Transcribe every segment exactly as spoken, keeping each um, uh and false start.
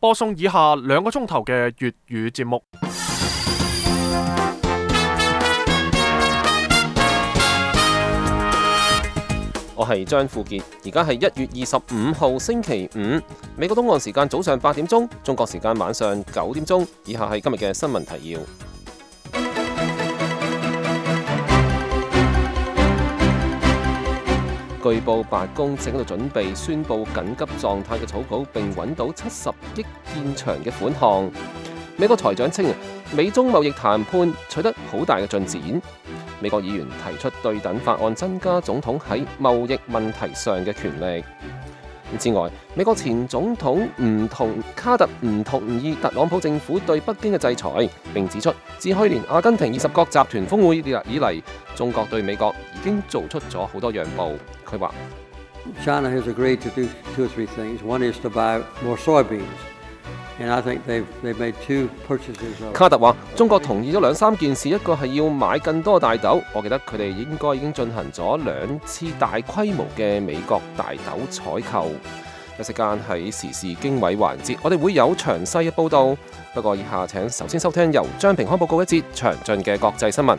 播送以下兩個鐘頭嘅粵語節目。我係張富傑，而家係一月二十五號星期五，美國東岸時間早上八點鐘，中國時間晚上九點鐘。以下係今日嘅新聞提要。據報白宮正喺度準備宣布緊急狀態嘅草稿，並揾到七十億片長嘅款項。美國財長稱，美中貿易談判取得好大嘅進展。美國議員提出對等法案，增加總統喺貿易問題上嘅權力。之外，美國前總統唔同卡特唔同意特朗普政府對北京嘅制裁，並指出自去年阿根廷二十國集團峰會以嚟，中國對美國已經做出咗好多讓步。佢話 China has agreed to do two or three things. One is to buy more soybeans. And I think they've, they've made two purchases of... 卡特話中國同意咗兩三件事，一個係要買更多大豆，我記得佢哋應該已經進行咗兩次大規模嘅美國大豆採購。一時間喺時事經緯環節，我哋會有詳細嘅報導。不過以下請首先收聽由張平康報告一節詳盡嘅國際新聞。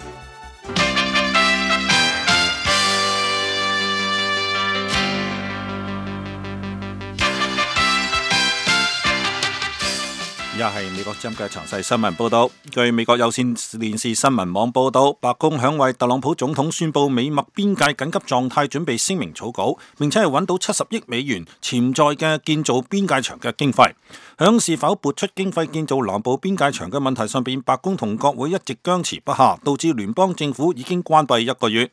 而家係美國之音嘅詳細新聞報道。據美國有線電視新聞網報道，白宮響為特朗普總統宣布美墨邊界緊急狀態準備聲明草稿，並且係揾到七十億美元潛在嘅建造邊界牆嘅經費。響是否撥出經費建造南部邊界牆嘅問題上邊，白宮同國會一直僵持不下，導致聯邦政府已經關閉一個月。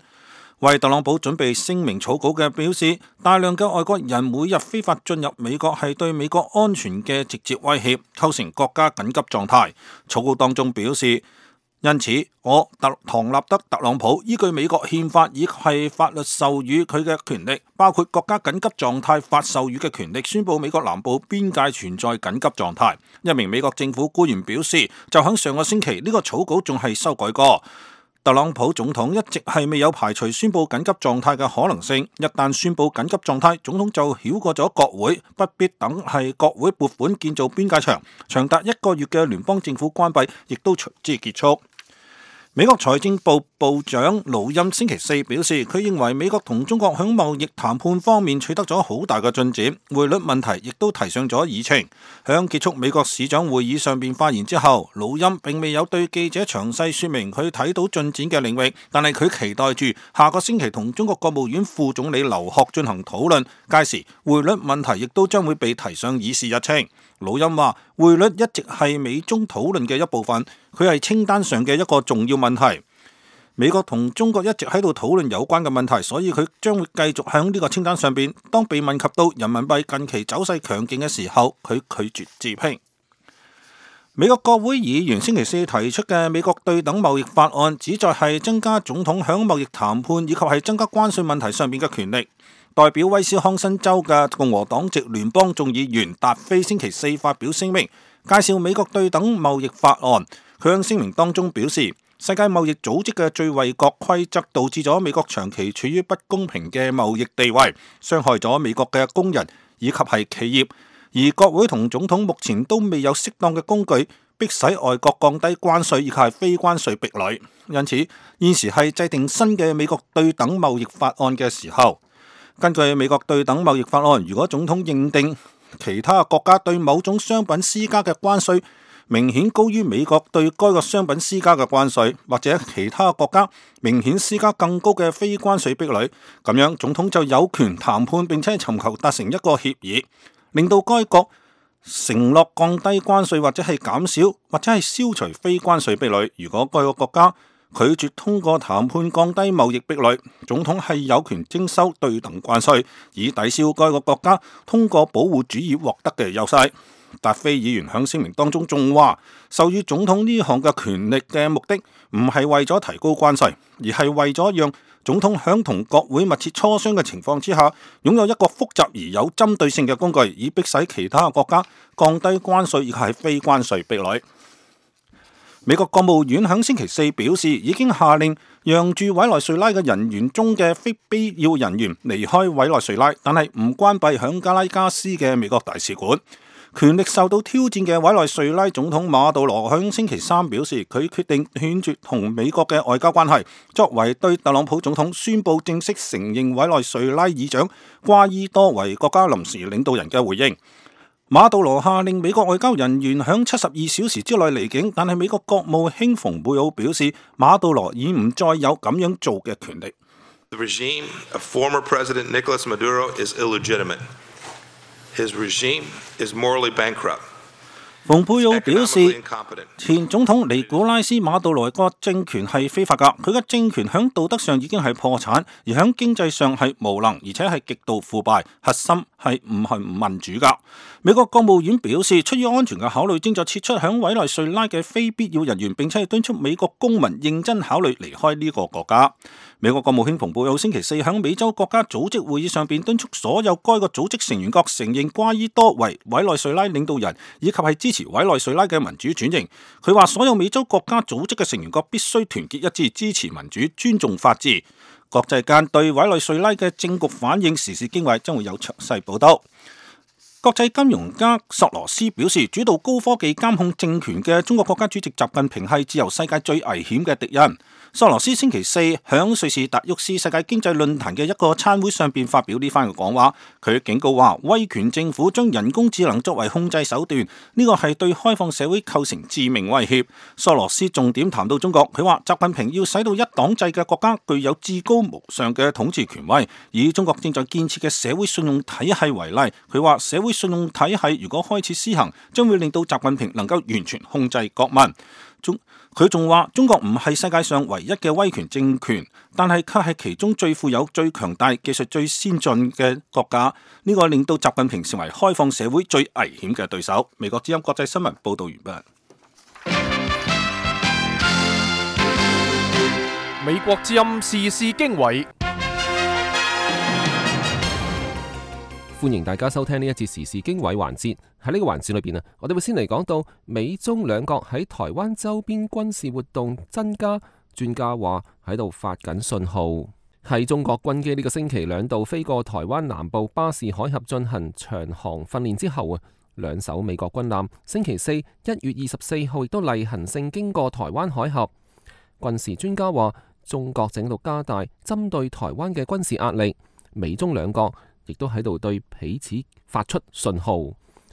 為特朗普準備聲明草稿嘅表示，大量嘅外國人每日非法進入美國係對美國安全嘅直接威脅，構成國家緊急狀態。草稿當中表示，因此我特唐納德特朗普依據美國憲法以及法律授予佢嘅權力，包括國家緊急狀態法授予嘅權力，宣布美國南部邊界存在緊急狀態。一名美國政府官員表示，就喺上個星期呢個草稿仲係修改過。特朗普總統一直係未有排除宣布緊急狀態嘅可能性。一旦宣布緊急狀態，總統就繞過咗國會，不必等係國會撥款建造邊界牆，長達一個月嘅聯邦政府關閉亦都隨之結束。美國財政部部長盧欽星期四表示，佢認為美國同中國喺貿易談判方面取得咗好大嘅進展，匯率問題亦都提上咗議程。響結束美國市長會議上邊發言之後，盧欽並未有對記者詳細說明佢睇到進展嘅領域，但係佢期待住下個星期同中國國務院副總理劉鶴進行討論，屆時匯率問題亦都將會被提上議事日程。盧欽話匯率一直係美中討論嘅一部分，佢係清單上嘅一個重要問題。美國同中國一直喺度討論有關嘅問題，所以佢將會繼續喺呢個清單上邊。當被問及到人民幣近期走勢強勁嘅時候，佢拒絕置評。美國國會議員星期四提出嘅美國對等貿易法案，旨在係增加總統喺貿易談判以及係增加關稅問題上邊嘅權力。代表威斯康辛州嘅共和黨籍聯邦眾議員達菲星期四發表聲明，介紹美國對等貿易法案。佢喺聲明當中表示，世界貿易組織嘅最惠國規則導致咗美國長期處於不公平嘅貿易地位，傷害咗美國嘅工人以及係企業。而國會同總統目前都未有適當嘅工具，迫使外國降低關稅以及係非關稅壁壘。因此，現時係制定新嘅美國對等貿易法案嘅時候。根據美國對等貿易法案，如果總統認定其他國家對某種商品施加嘅關稅明顯高於美國對該個商品施加嘅關稅，或者其他國家明顯施加更高嘅非關稅壁壘，咁樣總統就有權談判並且尋求達成一個協議，令到該國承諾降低關稅或者係減少或者係消除非關稅壁壘。如果該個國家拒絕通過談判降低貿易壁壘，總統係有權徵收對等關稅，以抵消該個國家通過保護主義獲得嘅優勢。達菲議員喺聲明當中仲話，授予總統呢項嘅權力嘅目的唔係為咗提高關稅，而係為咗讓總統喺同國會密切磋商嘅情況之下，擁有一個複雜而有針對性嘅工具，以迫使其他國家降低關稅以及係非關稅壁壘。美國國務院喺星期四表示，已經下令讓駐委內瑞拉嘅人員中嘅非必要人員離開委內瑞拉，但係唔關閉響加拉加斯嘅美國大使館。權力受到挑戰嘅委內瑞拉總統馬杜羅響星期三表示，佢決定斷絕同美國嘅外交關係，作為對特朗普總統宣布正式承認委內瑞拉議長瓜伊多為國家臨時領導人嘅回應。馬杜羅下令美國外交人員響七十二小時之內離境，但係美國國務卿蓬佩奧表示，馬杜羅已唔再有咁樣做嘅權力。The regime of former President Nicolas Maduro is illegitimate. His regime is morally bankrupt. 蓬佩奧表示，前總統尼古拉斯馬杜羅個政權係非法㗎，佢嘅政權響道德上已經係破產，而響經濟上係無能，而且係極度腐敗，核心係唔係唔民主㗎。美國國務院表示，出於安全嘅考慮，正在撤出響委內瑞拉嘅非必要人員，並且係敦促美國公民認真考慮離開呢個國家。美國國務卿蓬佩奧星期四響美洲國家組織會議上邊敦促所有該個組織成員國承認瓜伊多為委內瑞拉領導人，以及係支持委內瑞拉嘅民主轉型。佢話所有美洲國家組織嘅成員國必須團結一致，支持民主，尊重法治。國際間對委內瑞拉嘅政局反應時事經緯將會有詳細報道。國際金融家索羅斯表示，主導高科技監控政權嘅中國國家主席習近平係自由世界最危險嘅敵人。索羅斯星期四響瑞士達沃斯世界經濟論壇嘅一個餐會上邊發表呢番嘅講話，佢警告話，威權政府將人工智能作為控制手段，呢個係對開放社會構成致命威脅。索羅斯重點談到中國，佢話習近平要使到一黨制嘅國家具有至高無上嘅統治權威，以中國正在建設嘅社會信用體系為例，佢話社會信用體系如果開始施行，將會令到習近平能夠完全控制國民。中佢仲話，中國唔係世界上唯一嘅威權政權，但係卻係其中最富有、最強大、技術最先進嘅國家。呢個令到習近平成為開放社會最危險嘅對手。美國之音國際新聞報道完畢。美國之音時事經緯。歡迎大家收聽呢一節時事經緯環節。喺呢個環節裏邊啊，我哋會先嚟講到美中兩國喺台灣周邊軍事活動增加，專家話喺度發緊信號。喺中國軍機呢個星期兩度飛過台灣南部巴士海峽進行長航訓練之後啊，兩艘美國軍艦星期四一月二十四號亦都例行性經過台灣海峽。軍事專家話，中國正喺度加大針對台灣嘅軍事壓力，美中兩國亦都喺度對彼此發出信號。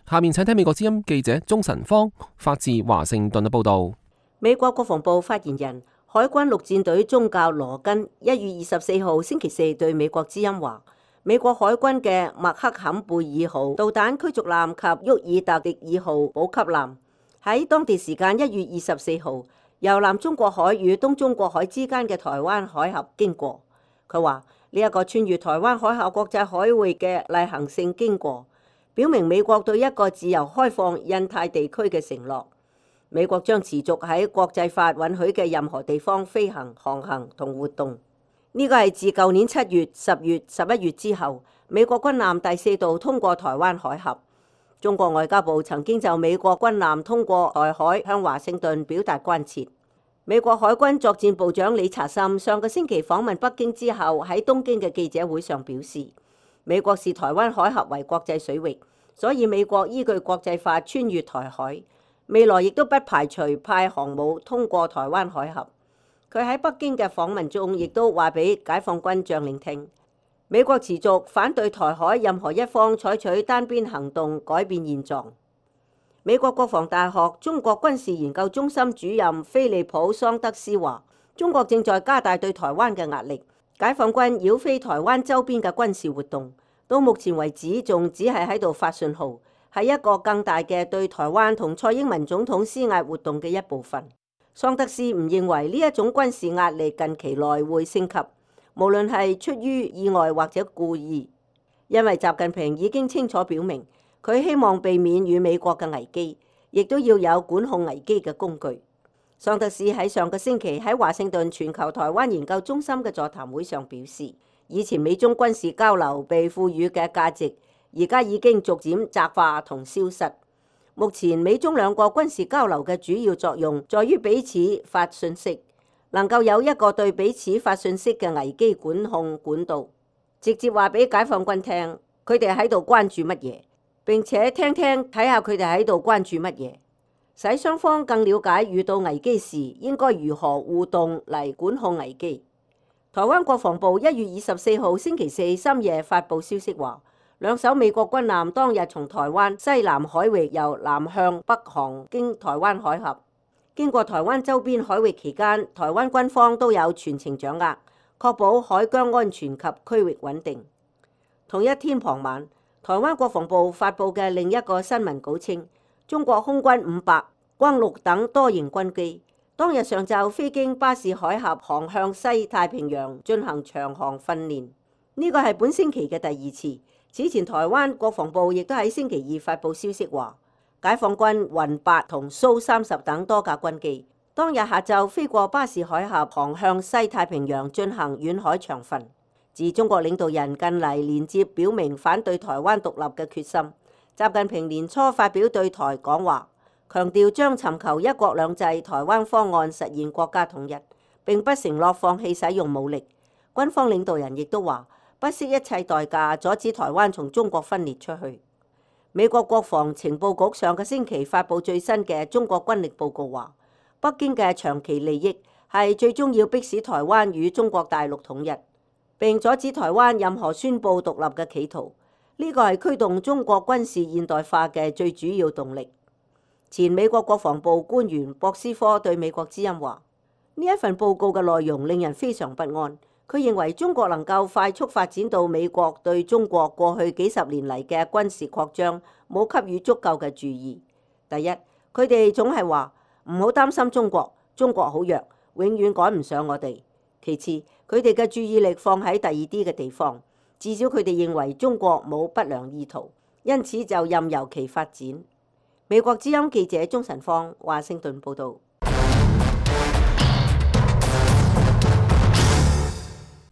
下面請聽美國之音記者鍾晨芳發自華盛頓嘅報道。美國國防部發言人、海軍陸戰隊中校羅根一月二十四號星期四對美國之音話，美國海軍嘅麥克坎貝爾號導彈驅逐艦及沃爾特迪爾號補給艦喺當地時間一月二十四號由南中國海與東中國海之間嘅台灣海峽經過。佢話呢一個穿越台灣海峽國際海域嘅例行性經過，表明美國對一個自由開放印太地區嘅承諾。美國將持續喺國際法允許嘅任何地方飛行、航行同活動。呢個係自舊年七月、十月、十一月之後，美國軍艦第四度通過台灣海峽。中國外交部曾經就美國軍艦通過台海向華盛頓表達關切。美國海軍作戰部長理查森上個星期訪問北京之後，喺東京嘅記者會上表示，美國視台灣海峽為國際水域，所以美國依據國際法穿越台海，未來亦都不排除派航母通過台灣海峽。佢喺北京嘅訪問中，亦都話俾解放軍將領聽，美國持續反對台海任何一方採取單邊行動改變現狀。美國國防大學中國軍事研究中心主任菲利普桑德斯話，中國正在加大對台灣嘅壓力。解放軍繞飛台灣周邊嘅軍事活動，到目前為止仲只係喺度發信號，係一個更大嘅對台灣同蔡英文總統施壓活動嘅一部分。桑德斯唔認為呢一種軍事壓力近期內會升級，無論係出於意外或者故意，因為習近平已經清楚表明，佢希望避免與美國嘅危機，亦都要有管控危機嘅工具。桑德斯喺上個星期喺華盛頓全球台灣研究中心嘅座談會上表示，以前美中軍事交流被賦予嘅價值，而家已經逐漸窄化同消失。目前美中兩國軍事交流嘅主要作用，在於彼此發信息，能夠有一個對彼此發信息嘅危機管控管道，直接話俾解放軍聽，佢哋喺度關注乜嘢，並且聽聽睇下佢哋喺度關注乜嘢，使雙方更了解遇到危機時應該如何互動嚟管控危機。台灣國防部一月二十四號星期四深夜發布消息話，兩艘美國軍艦當日從台灣西南海域由南向北航經台灣海峽，經過台灣周邊海域期間，台灣軍方都有全程掌握，確保海疆安全及區域穩定。同一天傍晚，台灣國防部發布嘅另一個新聞稿稱，中國空軍五百、轟六等多型軍機當日上晝飛經巴士海峽航向西太平洋進行長航訓練，呢個係本星期嘅第二次。此前台灣國防部亦都喺星期二發布消息話，解放軍雲八同蘇三十等多架軍機當日下晝飛過巴士海峽航向西太平洋進行遠海長訓。自中國領導人近嚟連接表明反對台灣獨立嘅決心，習近平年初發表對台講話，強調將尋求一國兩制台灣方案實現國家統一，並不承諾放棄使用武力。軍方領導人亦都話，不惜一切代價阻止台灣從中國分裂出去。美國國防情報局上個星期發布最新嘅中國軍力報告話，北京嘅長期利益係最終要迫使台灣與中國大陸統一，並阻止台灣任何宣佈獨立嘅企圖。呢個係驅動中國軍事現代化嘅最主要動力。前美國國防部官員博斯科對美國之音話，呢一份報告嘅內容令人非常不安。佢認為中國能夠快速發展到美國對中國過去幾十年嚟嘅軍事擴張冇給予足夠嘅注意。第一，佢哋總係話唔好擔心中國，中國好弱，永遠趕唔上我哋。其次，佢哋嘅注意力放喺第二啲嘅地方，至少佢哋認為中國冇不良意圖，因此就任由其發展。美國之音記者鍾晨芳，華盛頓報導。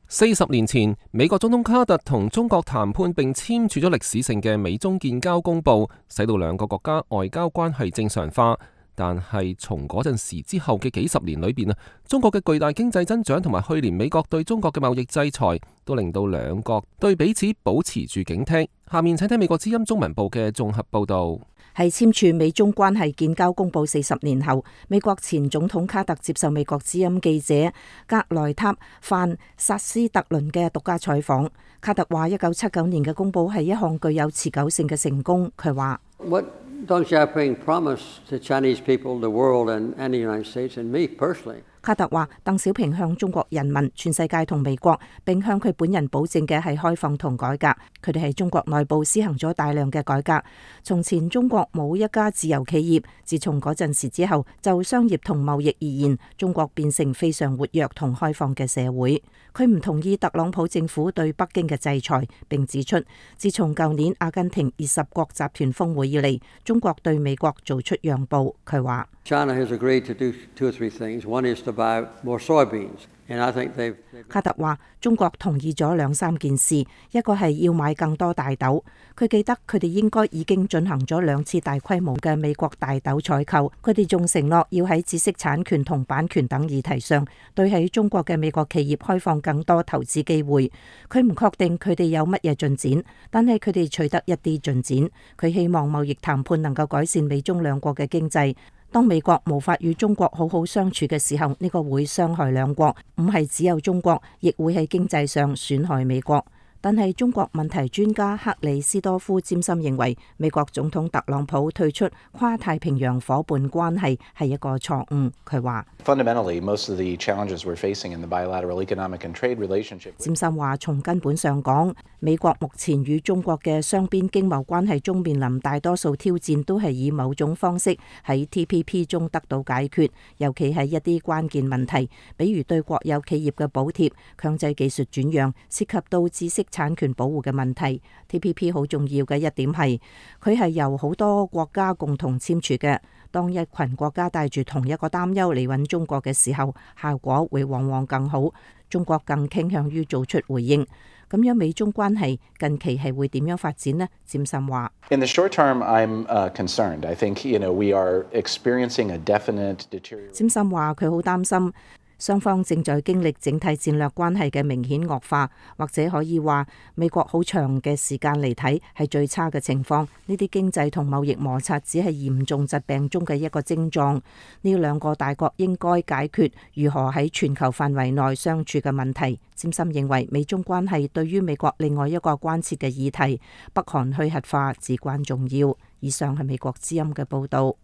四十年前，美國總統卡特同中國談判並簽署咗歷史性嘅美中建交公報，使到兩個國家外交關係正常化。但係從嗰陣時之後嘅幾十年裏邊啊，中國嘅巨大經濟增長同埋去年美國對中國嘅貿易制裁，都令到兩國對彼此保持住警惕。下面請聽美國之音中文部嘅綜合報導。係簽署美中關係建交公報四十年後，美國前總統卡特接受美國之音記者格萊塔范薩斯特倫嘅獨家採訪。卡特話：一九七九年嘅公報係一項具有持久性嘅成功。佢話What Deng Xiaoping promised to Chinese people, the world, and, and the United States, and me personally. 卡特話，鄧小平向中國人民、全世界同美國，並向佢本人保證嘅係開放同改革。佢哋喺中國內部施行咗大量嘅改革。從前中國冇一家自由企業，自從嗰陣時之後，就商業同貿易而言，中國變成非常活躍同開放嘅社會。佢唔同意特朗普政府對北京嘅制裁，並指出，自從舊年阿根廷二十國集團峰會以嚟，中國對美國做出讓步。佢話China has agreed to do two or three things. One is to buy more soybeans, and I think they've. 卡特話：中國同意咗兩三件事，一個係要買更多大豆。佢記得佢哋應該已經進行咗兩次大規模嘅美國大豆採購。佢哋仲承諾要喺知識產權同版權等議題上，對喺中國嘅美國企業開放更多投資機會。佢唔確定佢哋有乜嘢進展，但係佢哋取得一啲進展。佢希望貿易談判能夠改善美中兩國嘅經濟。當美國無法與中國好好相處嘅時候，呢個會傷害兩國，唔係只有中國，亦會喺經濟上損害美國。但係中國問題專家克里斯多夫詹森認為，美國總統特朗普退出跨太平洋夥伴關係係一個錯誤。佢話：Fundamentally, most of the challenges we're facing in the bilateral economic and trade relationship. 詹森話：從根本上講，美國目前與中國嘅雙邊經貿關係中面臨大多數挑戰，都係以某種方式喺 T P P 中得到解決，尤其係一啲關鍵問題，比如對國有企業嘅補貼、強制技術轉讓，涉及到知識產權保護嘅問題。 T P P 好重要嘅一點係，佢係由好多國家共同簽署嘅。當一群國家帶住同一個擔憂嚟揾中國嘅時候，效果會往往更好。中國更傾向於做出回應。咁樣美中關係近期係會點樣發展呢？詹森話：In the short term, I'm concerned. I think you know we are experiencing a definite deterioration. 詹森話佢好擔心。雙方正在經歷整體戰略關係嘅明顯惡化，或者可以話美國好長嘅時間嚟睇係最差嘅情況。呢啲經濟同貿易摩擦只係嚴重疾病中嘅一個症狀。呢兩個大國應該解決如何喺全球範圍內相處嘅問題。詹森認為美中關係對於美國另外一個關切嘅議題北韓去核化至關重要。以上係美國之音嘅報導。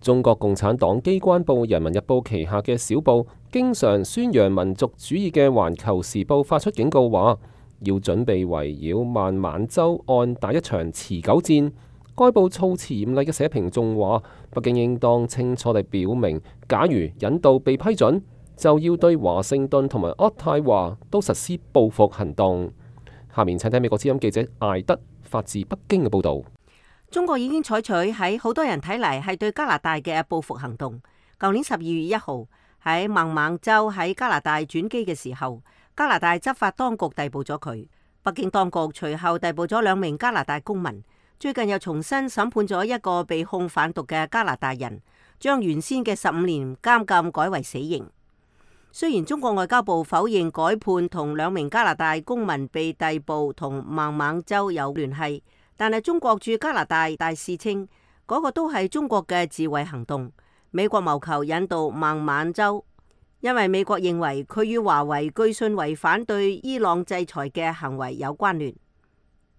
中國共產黨機關報《人民日報》旗下嘅小報，經常宣揚民族主義嘅《環球時報》發出警告話，要準備圍繞孟晚舟案打一場持久戰。該報措辭嚴厲嘅社評仲話，北京應當清楚地表明，假如引渡被批准，就要對華盛頓同埋渥太華都實施報復行動。下面請睇美國之音記者艾德發自北京嘅報導。中國已經採取喺好多人睇嚟係對加拿大嘅報復行動。舊年十二月一號喺孟晚舟喺加拿大轉機嘅時候，加拿大執法當局逮捕咗佢。北京當局隨後逮捕咗兩名加拿大公民。最近又重新審判咗一個被控販毒嘅加拿大人，將原先嘅十五年監禁改為死刑。雖然中國外交部否認改判同兩名加拿大公民被逮捕同孟晚舟有聯繫，但係中國駐加拿大大使稱嗰個都係中國嘅自衛行動。美國謀求引渡孟晚舟，因為美國認為佢與華為據信違反對伊朗制裁嘅行為有關聯。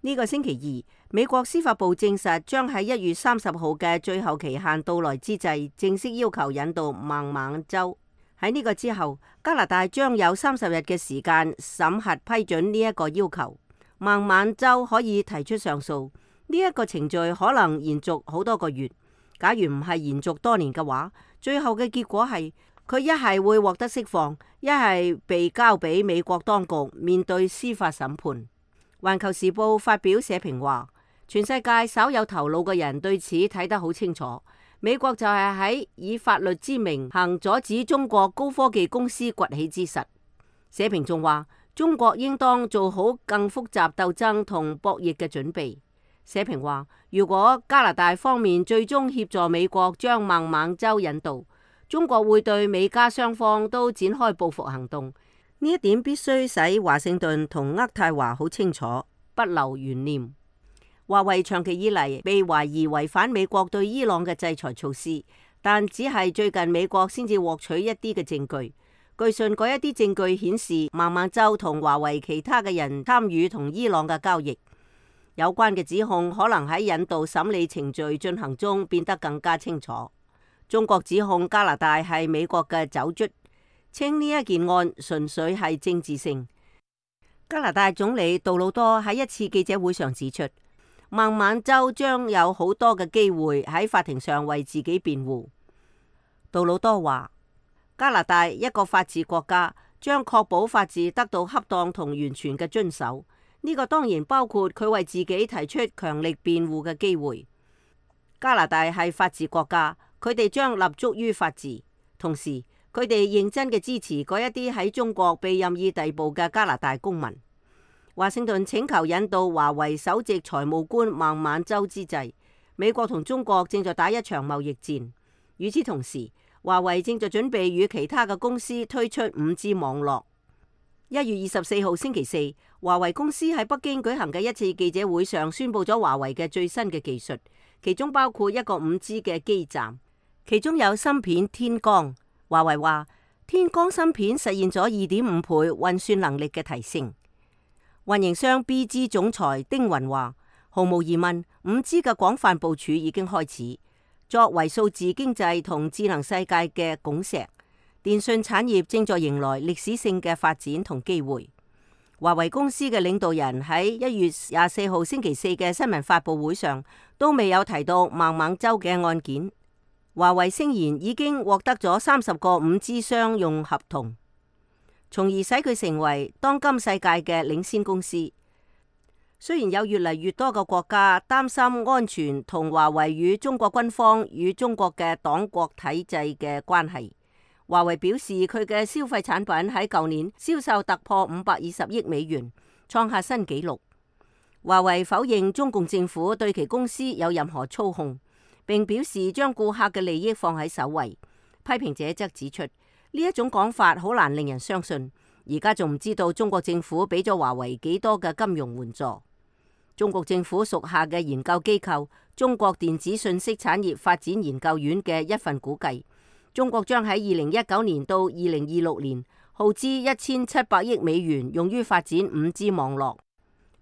呢個星期二，美國司法部證實將喺一月三十號嘅最後期限到來之際，正式要求引渡孟晚舟。喺呢個之後，加拿大將有三十日嘅時間審核批准呢一個要求。孟晚舟可以提出上訴，呢一個程序可能延續好多個月。假如唔係延續多年嘅話，最後嘅結果係佢一係會獲得釋放，一係被交俾美國當局面對司法審判。環球時報發表社評話，全世界稍有頭腦嘅人對此睇得好清楚。美國就係喺以法律之名行阻止中國高科技公司崛起之實。社評仲話，中國應當做好更複雜鬥爭同博弈嘅準備。社評話，如果加拿大方面最終協助美國將孟晚舟引渡，中國會對美加雙方都展開報復行動。呢一點必須使華盛頓同渥太華好清楚，不留懸念。華為長期以嚟被懷疑違反美國對伊朗嘅制裁措施，但只係最近美國先至獲取一啲嘅證據。據信嗰一啲證據顯示孟晚舟同華為其他嘅人參與同伊朗嘅交易。有關嘅指控可能喺引渡審理程序進行中變得更加清楚。中國指控加拿大係美國嘅走卒，稱呢一件案純粹係政治性。加拿大總理杜魯多喺一次記者會上指出，孟晚舟將有好多嘅機會喺法庭上為自己辯護。杜魯多話，加拿大一個法治國家將確保法治得到恰當同完全嘅遵守，呢個當然包括佢為自己提出強力辯護嘅機會。加拿大係法治國家，佢哋將立足於法治，同時佢哋認真嘅支持嗰一啲喺中國被任意逮捕嘅加拿大公民。華盛頓請求引渡華為首席財務官孟晚舟之際，美國同中國正在打一場貿易戰。與此同時，華為正在準備與其他嘅公司推出五 G 網絡。一月二十四號星期四，華為公司喺北京舉行嘅一次記者會上宣布咗華為嘅最新嘅技術，其中包括一個五 G 嘅基站，其中有芯片天光。華為話，天光芯片實現咗二點五倍運算能力嘅提升。運營商 B G 總裁丁雲話，毫無疑問，五 G 嘅廣泛部署已經開始。作為數字經濟同智能世界嘅拱石，電信產業正在迎來歷史性嘅發展同機會。華為公司嘅領導人喺一月廿四號星期四嘅新聞發佈會上都未有提到孟晚舟嘅案件。華為聲言已經獲得咗三十個五 G 商用合同，從而使佢成為當今世界嘅領先公司。雖然有越嚟越多嘅國家擔心安全同華為與中國軍方與中國嘅黨國體制嘅關係，華為表示佢嘅消費產品喺舊年銷售突破五百二十億美元，創下新紀錄。華為否認中共政府對其公司有任何操控，並表示將顧客嘅利益放喺首位。批評者則指出，呢一種講法好難令人相信。而家仲唔知道中國政府俾咗華為幾多嘅金融援助。中國政府屬下嘅研究機構中國電子信息產業發展研究院嘅一份估計，中國將喺二零一九年到二零二六年耗資一千七百億美元用於發展五 G 網絡。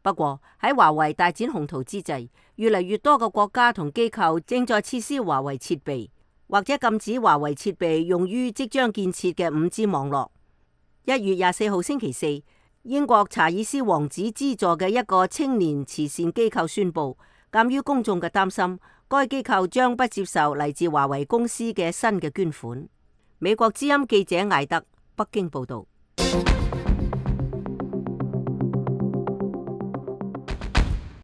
不過喺華為大展宏圖之際，越嚟越多嘅國家同機構正在撤銷華為設備，或者禁止華為設備用於即將建設嘅五 G 網絡。一月廿四號星期四，英國查爾斯王子資助嘅一個青年慈善機構宣布，鑒於公眾嘅擔心，該機構將不接受嚟自華為公司嘅新嘅捐款。美國之音記者艾德北京報道。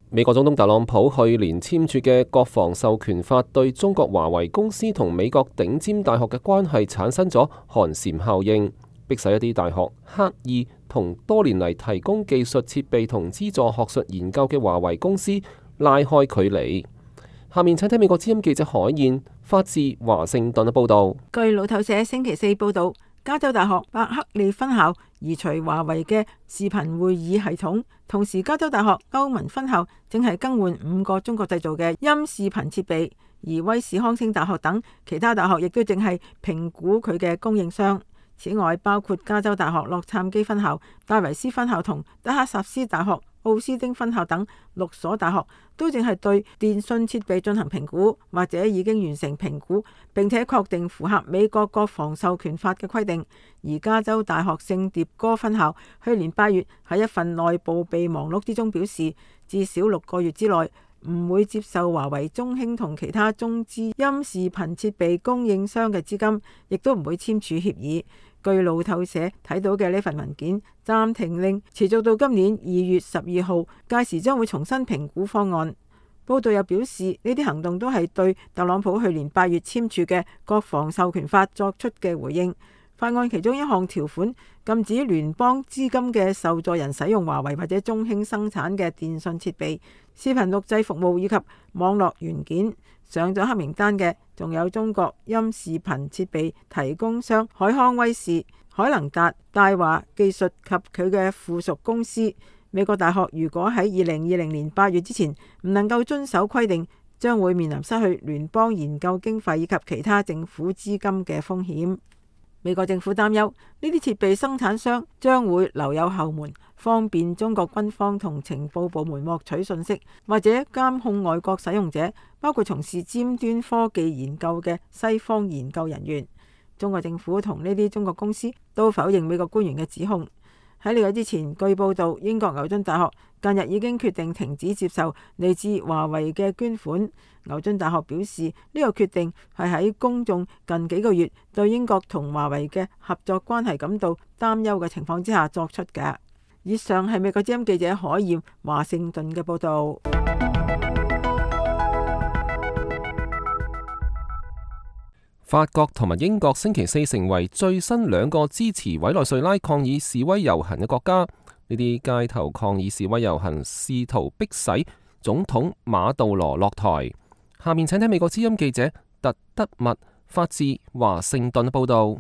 美國總統特朗普去年簽署嘅國防授權法對中國華為公司同美國頂尖大學嘅關係產生咗寒蟬效應，迫使一啲大學刻意同多年嚟提供技術設備同資助學術研究嘅華為公司拉開距離。下面請睇美國之音記者海燕發自華盛頓嘅報道。據路透社星期四報道，加州大學伯克利分校移除華為嘅視頻會議系統，同時加州大學歐文分校正係更換五個中國製造嘅音視頻設備，而威斯康星大學等其他大學亦都正係評估佢嘅供應商。此外，包括加州大學洛杉磯分校、戴維斯分校同德克薩斯大學奧斯丁分校等六所大學都正係對電信設備進行評估，或者已經完成評估，並且確定符合美國國防授權法嘅規定。而加州大學聖迭戈分校去年八月喺一份內部備忘錄之中表示，至少六個月之內唔會接受華為、中興同其他中資音視頻設備供應商嘅資金，亦都唔會簽署協議。據路透社睇到嘅呢份文件，暫停令持續到今年二月十二號，屆時將會重新評估方案。報道又表示，呢啲行動都係對特朗普去年八月簽署嘅國防授權法作出嘅回應。法案其中一項條款禁止聯邦資金嘅受助人使用華為或者中興生產嘅電信設備、視頻錄製服務以及網絡元件。上咗黑名單嘅仲有中國音視頻設備提供商海康威視、海能達、大華技術及佢嘅附屬公司。美國大學如果喺二零二零年八月之前唔能夠遵守規定，將會面臨失去聯邦研究經費以及其他政府資金嘅風險。美國政府擔憂呢啲設備生產商將會留有後門，方便中國軍方同情報部門獲取信息，或者監控外國使用者，包括從事尖端科技研究嘅西方研究人員。中國政府同呢啲中國公司都否認美國官員嘅指控。喺呢個之前，據報道，英國牛津大學近日已經決定停止接受嚟自華為嘅捐款。牛津大學表示，呢個決定係喺公眾近幾個月對英國同華為嘅合作關係感到擔憂嘅情況之下作出嘅。以上係美國之音記者海燕華盛頓嘅報導。法國同埋英國星期四成為最新兩個支持委內瑞拉抗議示威遊行嘅國家。呢啲街頭抗議示威遊行試圖迫使總統馬杜羅落台。下面請聽美國之音記者特德密發自華盛頓報道。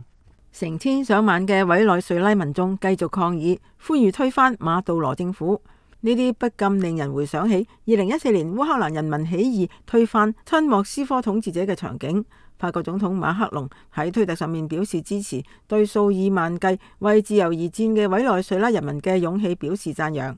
成千上萬嘅委內瑞拉民眾繼續抗議，呼籲推翻馬杜羅政府。呢啲不禁令人回想起二零一四年烏克蘭人民起義推翻親莫斯科統治者嘅場景。法國總統馬克龍喺推特上面表示支持，對數以萬計為自由而戰嘅委內瑞拉人民嘅勇氣表示讚揚。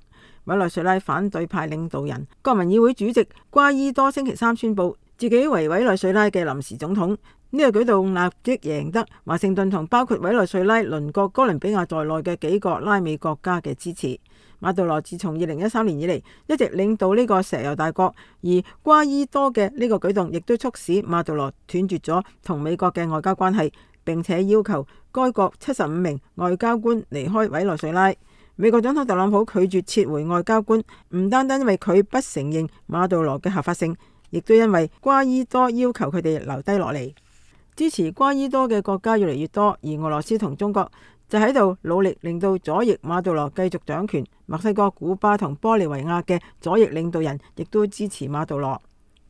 委內瑞拉反對派領導人、國民議會主席瓜伊多星期三宣布自己為委內瑞拉嘅臨時總統。呢個舉動立即贏得華盛頓同包括委內瑞拉鄰國哥倫比亞在內嘅幾個拉美國家嘅支持。馬杜羅自從二零一三年以嚟一直領導呢個石油大國，而瓜伊多嘅呢個舉動亦都促使馬杜羅斷絕咗同美國嘅外交關係，並且要求該國七十五名外交官離開委內瑞拉。美國總統特朗普拒絕撤回外交官，唔單單因為佢不承認馬杜羅嘅合法性，亦都因為瓜伊多要求佢哋留低落嚟。支持瓜伊多嘅國家越嚟越多，而俄羅斯同中國就喺度努力令到左翼馬杜羅繼續掌權。墨西哥、古巴同玻利維亞嘅左翼領導人亦都支持馬杜羅。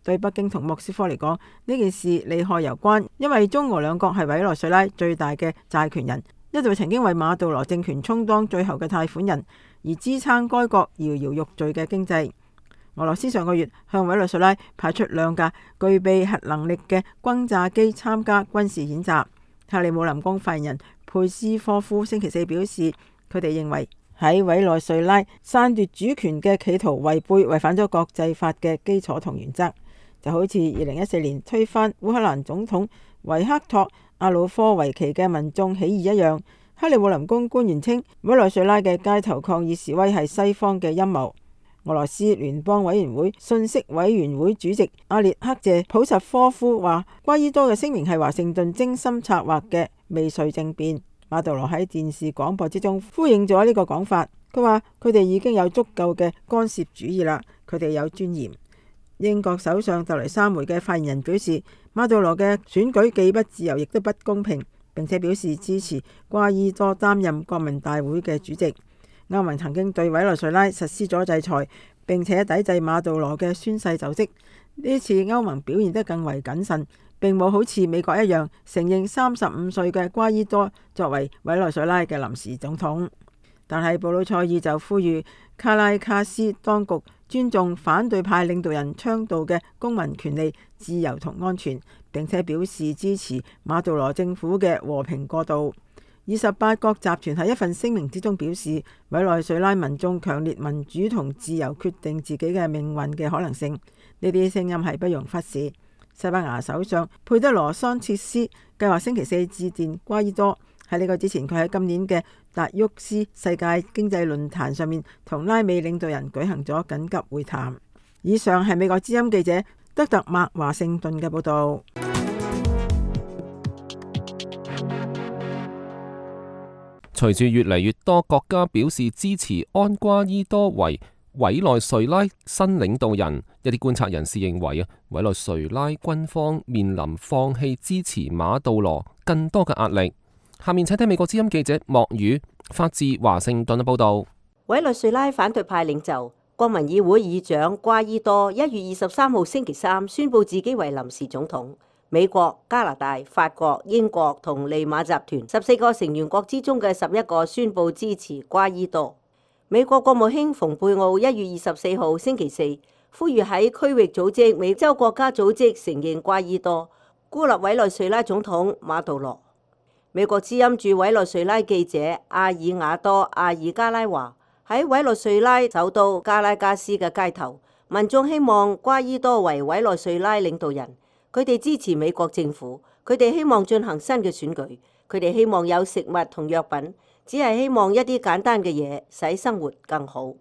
對北京同莫斯科嚟講，呢件事利害攸關，因為中俄兩國係委內瑞拉最大嘅債權人，一度曾經為馬杜羅政權充當最後嘅貸款人，而支撐該國搖搖欲墜嘅經濟。俄羅斯上個月向委內瑞拉派出兩架具備核能力嘅轟炸機參加軍事演習。克里姆林宮發言人佩斯科夫星期四表示，佢哋認為喺委內瑞拉篡奪主權嘅企圖違背違反咗國際法嘅基礎同原則，就好似二零一四年推翻烏克蘭總統維克托阿魯科維奇嘅民眾起義一樣。克里姆林宮官員稱，委內瑞拉嘅街頭抗議示威係西方嘅陰謀。俄羅斯聯邦委員會信息委員會主席阿列克謝普什科夫話，瓜伊多嘅聲明係華盛頓精心策劃嘅未遂政變。馬杜羅喺電視廣播之中呼應咗呢個講法，佢話佢哋已經有足夠嘅干涉主義啦，佢哋有尊嚴。英國首相特雷莎梅嘅發言人表示，馬杜羅嘅選舉既不自由亦都不公平，並且表示支持瓜伊多擔任國民大會嘅主席。歐盟曾經對委內瑞拉實施咗制裁，並且抵制馬杜羅嘅宣誓就職。呢次歐盟表現得更為謹慎，並冇好似美國一樣承認三十五歲嘅瓜伊多作為委內瑞拉嘅臨時總統。但係布魯塞爾就呼籲卡拉卡斯當局尊重反對派領導人倡導嘅公民權利、自由同安全，並且表示支持馬杜羅政府嘅和平過渡。二十八國集團喺一份聲明之中表示，委內瑞拉民眾強烈民主同自由決定自己嘅命運嘅可能性，呢啲聲音係不容忽視。西班牙首相佩德羅桑切斯計劃星期四致電瓜伊多。喺呢個之前，佢喺今年嘅達沃斯世界經濟論壇上面同拉美領導人舉行咗緊急會談。以上係美國之音記者德特麥華盛頓嘅報導。隨住越嚟越多國家表示支持安瓜伊多為委內瑞拉新領導人，一啲觀察人士認為啊，委內瑞拉軍方面臨放棄支持馬杜羅更多嘅壓力。下面請聽美國之音記者莫宇發自華盛頓嘅報導。委內瑞拉反對派領袖、國民議會議長瓜伊多一月二十三號星期三宣布自己為臨時總統。美國、加拿大、法國、英國同利馬集團十四個成員國之中嘅十一個宣布支持瓜伊多。美國國務卿蓬佩奧一月二十四號星期四呼籲喺區域組織美洲國家組織承認瓜伊多，孤立委內瑞拉總統馬杜羅。美國之音駐委內瑞拉記者阿爾瓦多阿爾加拉話，喺委內瑞拉首都加拉加斯嘅街頭，民眾希望瓜伊多為委內瑞拉領導人。佢哋支持美國政府，佢哋希望進行新嘅選舉，佢哋希望有食物同藥品，只係希望一啲簡單嘅嘢，使生活更好。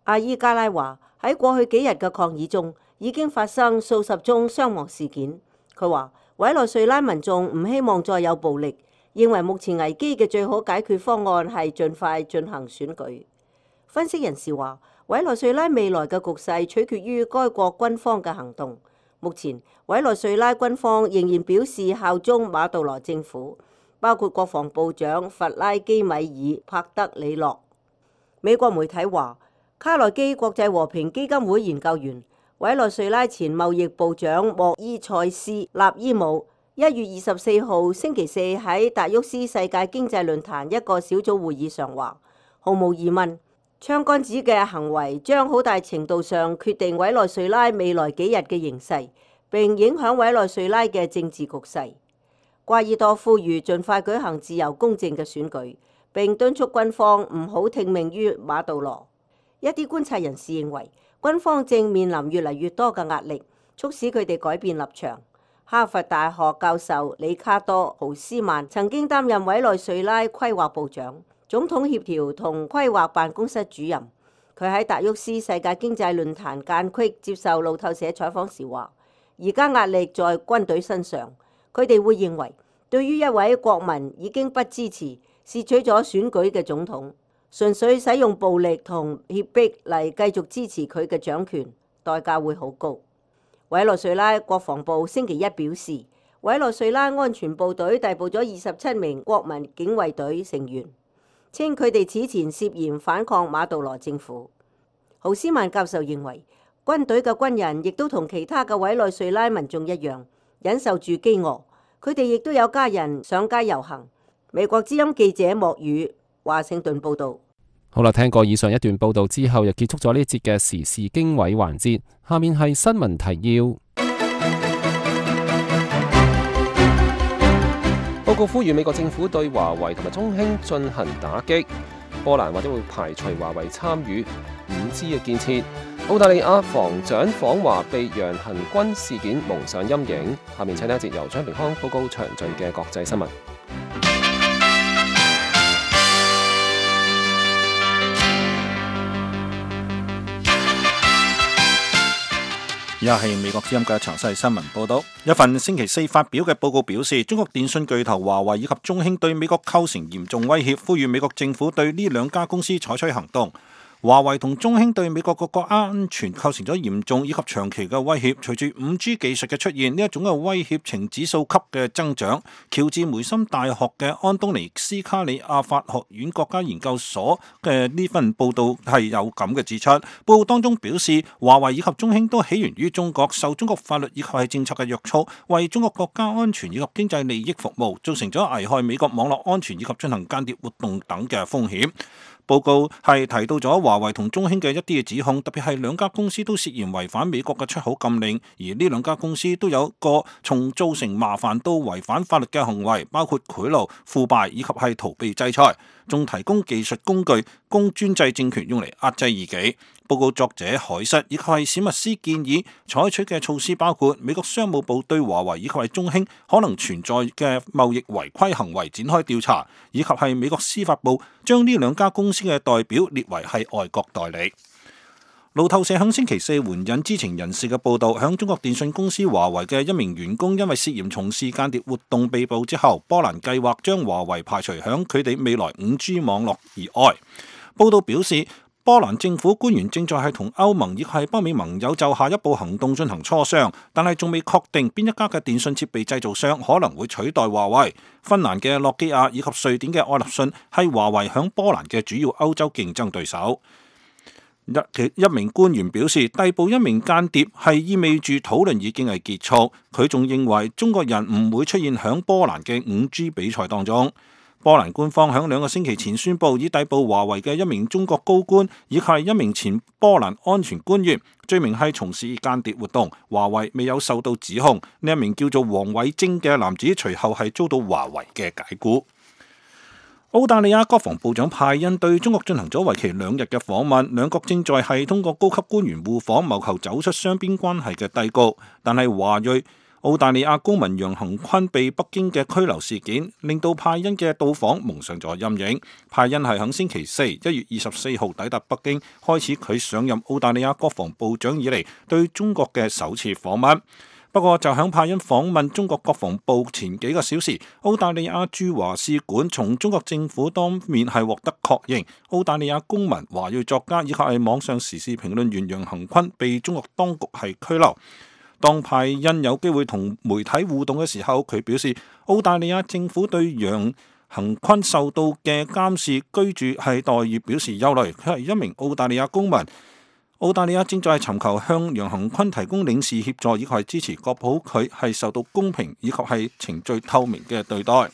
阿伊加拉話，喺過去幾日嘅抗議中，已經發生數十宗傷亡事件。佢話委內瑞拉民眾唔希望再有暴力，認為目前危機嘅最好解決方案係盡快進行選舉。分析人士話，委內瑞拉未來嘅局勢取決於該國軍方嘅行動。目前委內瑞拉軍方仍然表示效忠馬杜羅政府，包括國防部長弗拉基米爾帕德里諾。美國媒體話，卡內基國際和平基金會研究員、委內瑞拉前貿易部長莫伊塞斯納伊姆一月二十四號星期四喺達沃斯世界經濟論壇一個小組會議上話，毫無疑問，槍桿子嘅行為將好大程度上決定委內瑞拉未來幾日嘅形勢，並影響委內瑞拉嘅政治局勢。瓜伊多呼籲盡快舉行自由公正嘅選舉，並敦促軍方唔好聽命於馬杜羅。一啲觀察人士認為，軍方正面臨越嚟越多嘅壓力，促使佢哋改變立場。哈佛大學教授里卡多豪斯曼曾經擔任委內瑞拉規劃部長、總統協調同規劃辦公室主任。佢喺達沃斯世界經濟論壇間隙接受路透社採訪時話，而家壓力在軍隊身上，佢哋會認為對於一位國民已經不支持、竊取咗選舉嘅總統，純粹使用暴力同脅迫嚟繼續支持佢嘅掌權，代價會好高。委內瑞拉國防部星期一表示，委內瑞拉安全部隊逮捕咗二十七名國民警衛隊成員，稱佢哋此前涉嫌反抗馬杜羅政府。豪斯曼教授認為，軍隊嘅軍人亦都同其他嘅委內瑞拉民眾一樣，忍受住飢餓。佢哋亦都有家人上街遊行。美國之音記者莫宇華盛頓報道。好啦，聽過以上一段報道之後，又結束咗呢節嘅時事經緯環節。下面係新聞提要。報告呼籲美國政府對華為同埋中興進行打擊。波蘭或者會排除華為參與五 G 嘅建設。澳大利亞防長訪華被洋行軍事件蒙上陰影。下面請聽一節由張平康報告詳盡嘅國際新聞。以下係美國之音嘅詳細新聞報道。一份星期四發表嘅報告表示，中國電信巨頭華為以及中興對美國構成嚴重威脅，呼籲美國政府對呢兩家公司採取行動。華為同中興對美國國家安全構成咗嚴重以及長期嘅威脅。隨住五 G 技術嘅出現，呢一種嘅威脅呈指數級嘅增長。喬治梅森大學嘅安東尼斯卡里亞法學院國家研究所嘅呢份報道係有咁嘅指出。報告當中表示，華為以及中興都起源於中國，受中國法律以及係政策嘅約束，為中國國家安全以及經濟利益服務，造成咗危害美國網絡安全以及進行間諜活動等嘅風險。報告係提到咗華為同中興嘅一啲嘅指控，特別係兩家公司都涉嫌違反美國嘅出口禁令，而呢兩家公司都有個從造成麻煩到違反法律嘅行為，包括賄賂、腐敗以及係逃避制裁，仲提供技術工具供專制政權用嚟壓制異己。報告作者海瑟以及係史密斯建議採取嘅措施包括美國商務部對華為以及係中興可能存在嘅貿易違規行為展開調查，以及係美國司法部將呢兩家公司嘅代表列為係外國代理。路透社響星期四援引知情人士嘅報道，響中國電信公司華為嘅一名員工因為涉嫌從事間諜活動被捕之後，波蘭計劃將華為排除響佢哋未來五 G 網絡以外。報道表示，波蘭政府官員正在係同歐盟亦係北美盟友就下一步行動進行磋商，但係仲未確定邊一家嘅電信設備製造商可能會取代華為。芬蘭嘅諾基亞以及瑞典嘅愛立信係華為響波蘭嘅主要歐洲競爭對手。一名官員表示，逮捕一名間諜係意味住討論已經係結束。佢仲認為中國人唔會出現響波蘭嘅五 G 比賽當中。波蘭官方響兩個星期前宣布，已逮捕華為嘅一名中國高官，以及係一名前波蘭安全官員，罪名係從事間諜活動。華為未有受到指控。呢一名叫做黃偉晶嘅男子隨後係遭到華為嘅解雇。澳大利亞國防部長派恩對中國進行咗為期兩日嘅訪問，兩國正在係通過高級官員互訪，謀求走出雙邊關係嘅低谷。但係華裔澳大利亞公民楊恒坤被北京嘅拘留事件，令到派恩嘅到訪蒙上咗陰影。派恩係喺星期四一月二十四號抵達北京，開始佢上任澳大利亞國防部長以嚟對中國嘅首次訪問。不過就響派恩訪問中國國防部前幾個小時，澳大利亞駐華使館從中國政府當面係獲得確認，澳大利亞公民、華裔作家以及係網上時事評論員楊恒坤被中國當局係拘留。當派恩有機會同媒體互動嘅時候，佢表示澳大利亞政府對楊恒坤受到嘅監視、居住係待遇表示憂慮。佢係一名澳大利亞公民，澳大利亞正在尋求向楊恒坤提供領事協助，以及係支持確保佢係受到公平以及係程序透明嘅對待。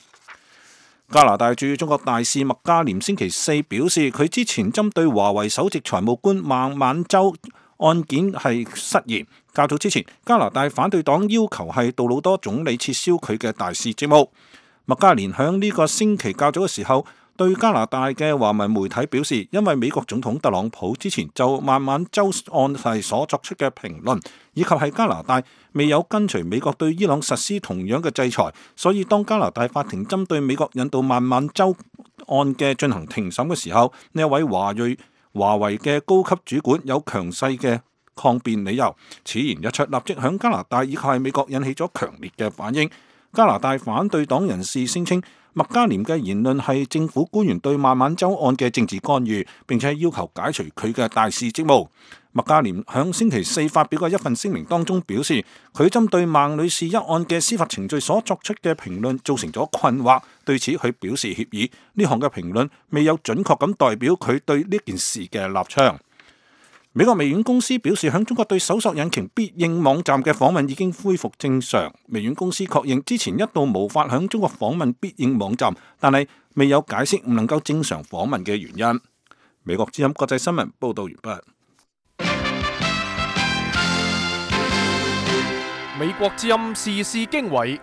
加拿大駐中國大使麥嘉廉星期四表示，佢之前針對華為首席財務官孟晚舟案件係失言。較早之前，加拿大反對黨要求係杜魯多總理撤銷佢嘅大使職務。麥嘉廉響呢個星期較早嘅時候，對加拿大嘅華文媒體表示，因為美國總統特朗普之前就孟晚舟案係所作出嘅評論，以及係加拿大未有跟隨美國對伊朗實施同樣嘅制裁，所以當加拿大法庭針對美國引渡孟晚舟案嘅進行庭審嘅時候，呢一位華裔華為嘅高級主管有強勢嘅抗辯理由。此言一出，立即響加拿大以及係美國引起咗強烈嘅反應。加拿大反對黨人士聲稱麥嘉廉嘅言論係政府官員對孟晚舟案嘅政治干預，並且要求解除佢嘅大使職務。麥嘉廉響星期四發表嘅一份聲明當中表示，佢針對孟女士一案嘅司法程序所作出嘅評論造成咗困惑，對此佢表示歉意。呢項嘅評論未有準確咁代表佢對呢件事嘅立場。美國微軟公司表示，響中國對搜索引擎必應網站嘅訪問已經恢復正常。微軟公司確認之前一度無法響中國訪問必應網站，但係未有解釋唔能夠正常訪問嘅原因。美國之音國際新聞報道完畢。美國之音時事經緯。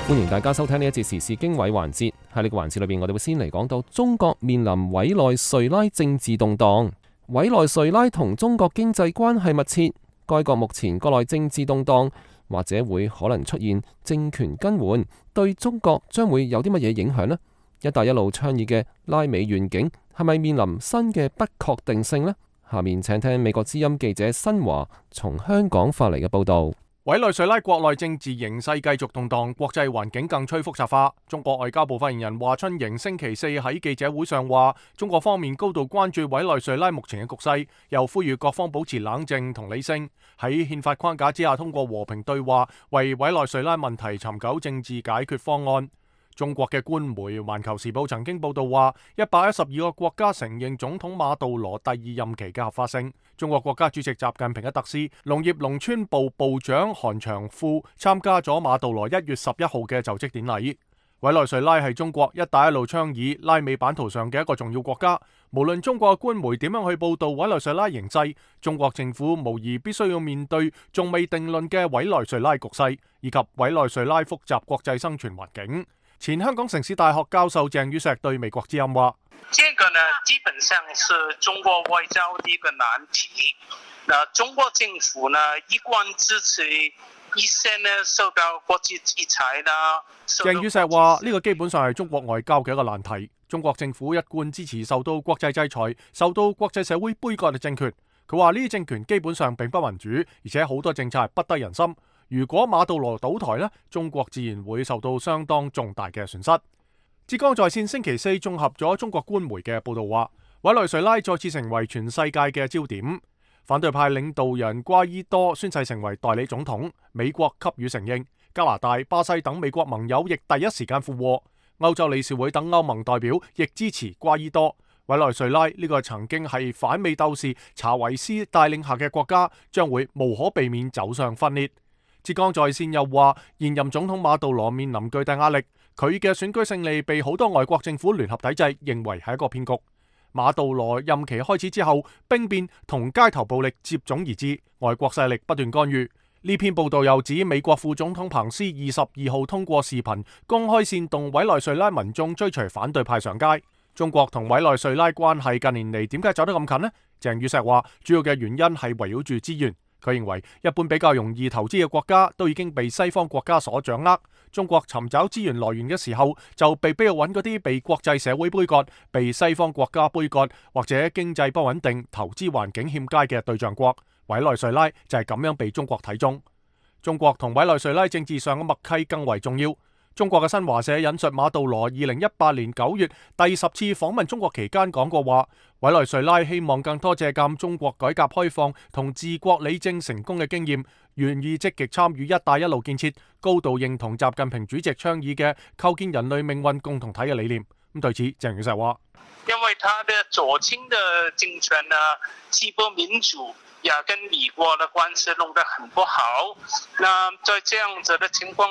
歡迎大家收聽呢一節時事經緯環節。喺呢個環節裏邊，我哋會先嚟講到中國面臨委內瑞拉政治動盪。委內瑞拉同中國經濟關係密切，該國目前國內政治動盪，或者會可能出現政權更換，對中國將會有啲乜嘢影響呢？一帶一路倡議嘅拉美願景係咪面臨新嘅不確定性呢？下面請聽美國之音記者新華從香港發嚟嘅報道。委內瑞拉國內政治形勢繼續動盪，國際環境更趨複雜化。中國外交部發言人華春瑩星期四喺記者會上話，中國方面高度關注委內瑞拉目前嘅局勢，又呼籲各方保持冷靜同理性，喺憲法框架之下通過和平對話，為委內瑞拉問題尋求政治解決方案。中國嘅官媒《環球時報》曾經報道話，一百一十二個國家承認總統馬杜羅第二任期嘅合法性。中國國家主席習近平嘅特使、農業農村部部長韓長富參加咗馬杜羅一月十一號嘅就職典禮。委內瑞拉係中國一帶一路倡議拉美版圖上嘅一個重要國家。無論中國嘅官媒點樣去報道委內瑞拉形勢，中國政府無疑必須要面對仲未定論嘅委內瑞拉局勢，以及委內瑞拉複雜國際生存環境。前香港城市大學教授鄭宇石對美國之音話：這個呢，基本上是中國外交的一個難題。那中國政府呢，一貫支持一些呢受到國際制裁啦。鄭宇石話：呢個基本上係中國外交嘅一個難題。中國政府一貫支持受到國際制裁、受到國際社會杯葛嘅政權。佢話呢啲政權基本上並不民主，而且好多政策係不得人心。如果馬杜羅倒台呢，中國自然會受到相當重大嘅損失。浙江在線星期四綜合咗中國官媒嘅報道話，委內瑞拉再次成為全世界嘅焦點。反對派領導人瓜伊多宣誓成為代理總統，美國給予承認，加拿大、巴西等美國盟友亦第一時間附和，歐洲理事會等歐盟代表亦支持瓜伊多。委內瑞拉呢個曾經係反美鬥士查維斯帶領下嘅國家，將會無可避免走上分裂。浙江在線又話，現任總統馬杜羅面臨巨大壓力，佢嘅選舉勝利被好多外國政府聯合抵制，認為係一個騙局。馬杜羅任期開始之後，兵變同街頭暴力接踵而至，外國勢力不斷干預。呢篇報道又指美國副總統彭斯二十二號通過視頻公開煽動委內瑞拉民眾追隨反對派上街。中國同委內瑞拉關係近年嚟點解走得咁近呢？鄭宇石話，主要嘅原因係圍繞住資源。佢認為一般比較容易投資嘅國家都已經被西方國家所掌握，中國尋找資源來源嘅時候就被逼要揾嗰啲被國際社會杯葛、被西方國家杯葛或者經濟不穩定、投資環境欠佳嘅對象國。委內瑞拉就係咁樣被中國睇中。中國同委內瑞拉政治上嘅默契更為重要。中國嘅新華社引述馬杜羅二零一八年九月第十次訪問中國期間講過話，委內瑞拉希望更多借鑒中國改革開放同治國理政成功嘅經驗，願意積極參與一帶一路建設，高度認同習近平主席倡議嘅構建人類命運共同體嘅理念。咁對此，鄭宇石話：因為他的左傾的政權呢，既不民主，也跟美國的關係弄得很不好。那在這樣子的情況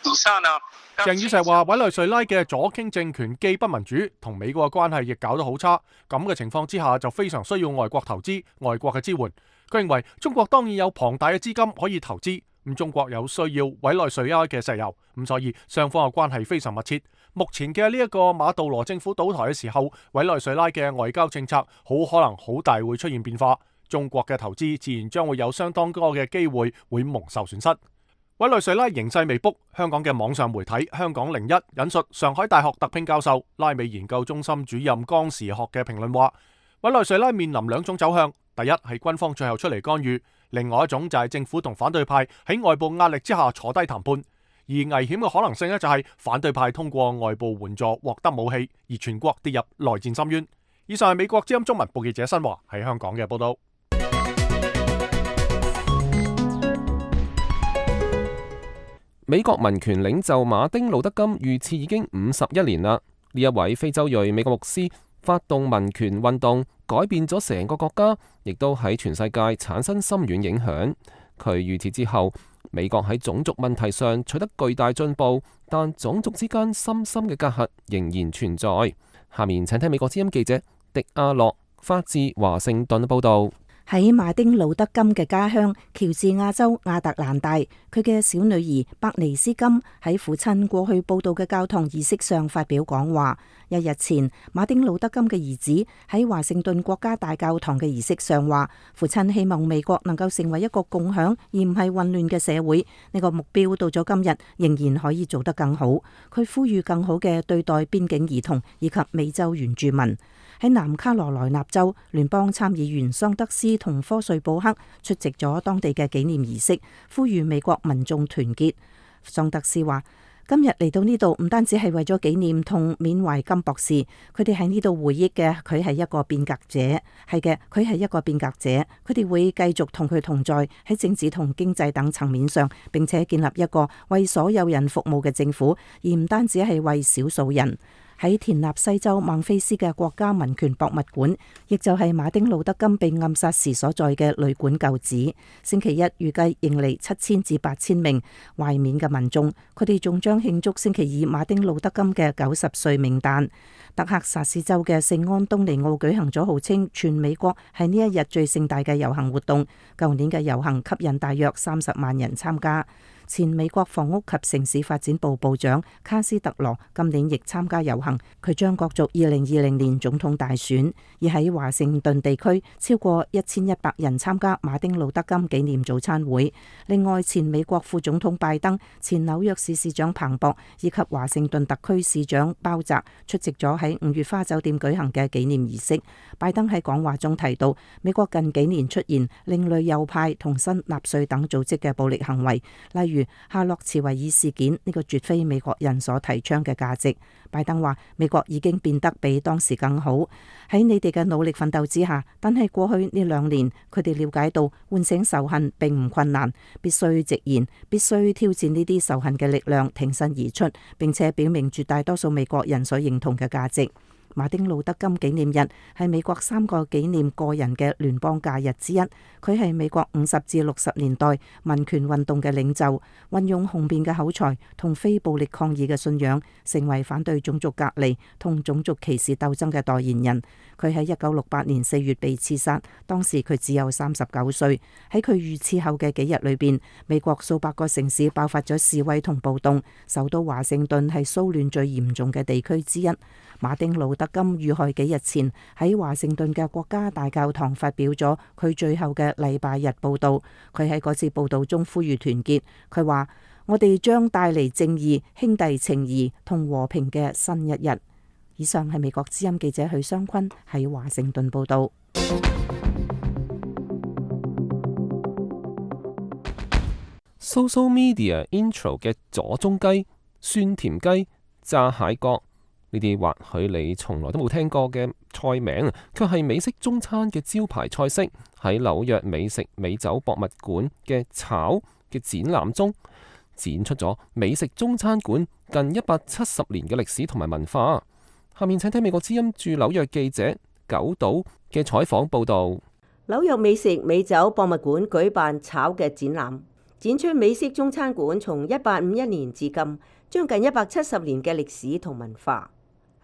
底下呢？鄭宇石話，委內瑞拉嘅左傾政權既不民主，同美國嘅關係亦搞得好差。咁嘅情況之下，就非常需要外國投資、外國嘅支援。佢認為中國當然有龐大嘅資金可以投資，咁中國有需要委內瑞拉嘅石油，咁所以雙方嘅關係非常密切。目前嘅呢一個馬杜羅政府倒台嘅時候，委內瑞拉嘅外交政策好可能好大會出現變化，中國嘅投資自然將會有相當多嘅機會會蒙受損失。委內瑞拉形勢未卜，香港嘅網上媒體香港零一引述上海大學特聘教授、拉美研究中心主任江時學嘅評論話，委內瑞拉面臨兩種走向，第一係軍方最後出嚟干預，另外一種就係政府同反對派喺外部壓力之下坐低談判，而危險嘅可能性呢，就係反對派通過外部援助獲得武器，而全國跌入內戰深淵。以上係美國之音中文部記者新華喺香港嘅報道。美國民權領袖馬丁路德金遇刺已經五十一年啦。呢一位非洲裔美國牧師發動民權運動，改變咗成個國家，亦都喺全世界產生深遠影響。佢預設之後，美國喺種族問題上取得巨大進步，但種族之間深深嘅隔閡仍然存在。下面請聽美國之音記者迪亞洛發自華盛頓報道。喺馬丁路德金嘅家鄉喬治亞州亞特蘭大，佢嘅小女兒伯尼斯金喺父親過去報道嘅教堂儀式上發表講話。一日前，馬丁路德金嘅兒子喺華盛頓國家大教堂嘅儀式上話，父親希望美國能夠成為一個共享而唔係混亂嘅社會。呢個目標到咗今日仍然可以做得更好。佢呼籲更好嘅對待邊境兒童以及美洲原住民。喺南卡羅來納州，聯邦參議員桑德斯同科瑞布克出席咗當地嘅紀念儀式，呼籲美國民眾團結。桑德斯話：今日嚟到呢度唔單止係為咗紀念同緬懷金博士，佢哋喺呢度回憶嘅佢係一個變革者，係嘅，佢係一個變革者，佢哋會繼續同佢同在喺政治同經濟等層面上，並且建立一個為所有人服務嘅政府，而唔單止係為少數人。喺田納西州孟菲斯嘅國家民權博物館，亦就係馬丁路德金被暗殺時所在嘅旅館舊址，星期一預計迎嚟七千至八千名懷緬嘅民眾，佢哋仲將慶祝星期二馬丁路德金嘅九十歲冥誕。德克薩斯州嘅聖安東尼奧舉行咗號稱全美國係呢一日最盛大嘅遊行活動，舊年嘅遊行吸引大約三十萬人參加。前美國房屋及城市發展部部長卡斯特羅今年亦參加遊行，佢將角逐二零二零年總統大選。而喺華盛頓地區，超過一千一百人參加馬丁路德金紀念早餐會。另外，前美國副總統拜登、前紐約市市長彭博以及華盛頓特區市長鮑澤出席咗喺五月花酒店舉行嘅紀念儀式。拜登喺講話中提到，美國近幾年出現另類右派同新納粹等組織嘅暴力行為，例如如夏洛茨維爾事件，呢個絕非美國人所提倡嘅價值。拜登話：美國已經變得比當時更好，喺你哋嘅努力奮鬥之下。但係過去呢兩年，佢哋了解到喚醒仇恨並唔困難，必須直言，必須挑戰呢啲仇恨嘅力量，挺身而出，並且表明絕大多數美國人所認同嘅價值。馬丁路德金紀念日係美國三個紀念個人嘅聯邦假日之一。佢係美國五十至六十年代民權運動嘅領袖，運用雄辯嘅口才同非暴力抗議嘅信仰，成為反對種族隔離同種族歧視鬥爭嘅代言人。佢喺一九六八年四月被刺殺，當時佢只有三十九歲。喺佢遇刺後嘅幾日裏邊，美國數百個城市爆發咗示威同暴動，首都華盛頓係騷亂最嚴重嘅地區之一。馬丁路德金遇害幾日前喺華盛頓嘅國家大教堂發表咗佢最後嘅禮拜日報道。佢喺嗰次報道中呼籲團結。佢話：我哋將帶嚟正義、兄弟情誼同和平嘅新一日。以上係美國之音記者許湘坤喺華盛頓報道。Social Media Intro 嘅左中雞、酸甜雞、炸蟹角，呢啲或許你從來都冇聽過嘅菜名，卻係美式中餐嘅招牌菜式。喺紐約美食美酒博物館嘅炒嘅展覽中，展出咗美食中餐館近一百七十年嘅歷史同埋文化。下面請聽美國之音駐紐約記者九島嘅採訪報導。紐約美食美酒博物館舉辦炒嘅展覽，展出美式中餐館從一八五一年至今將近一百七十年嘅歷史同文化。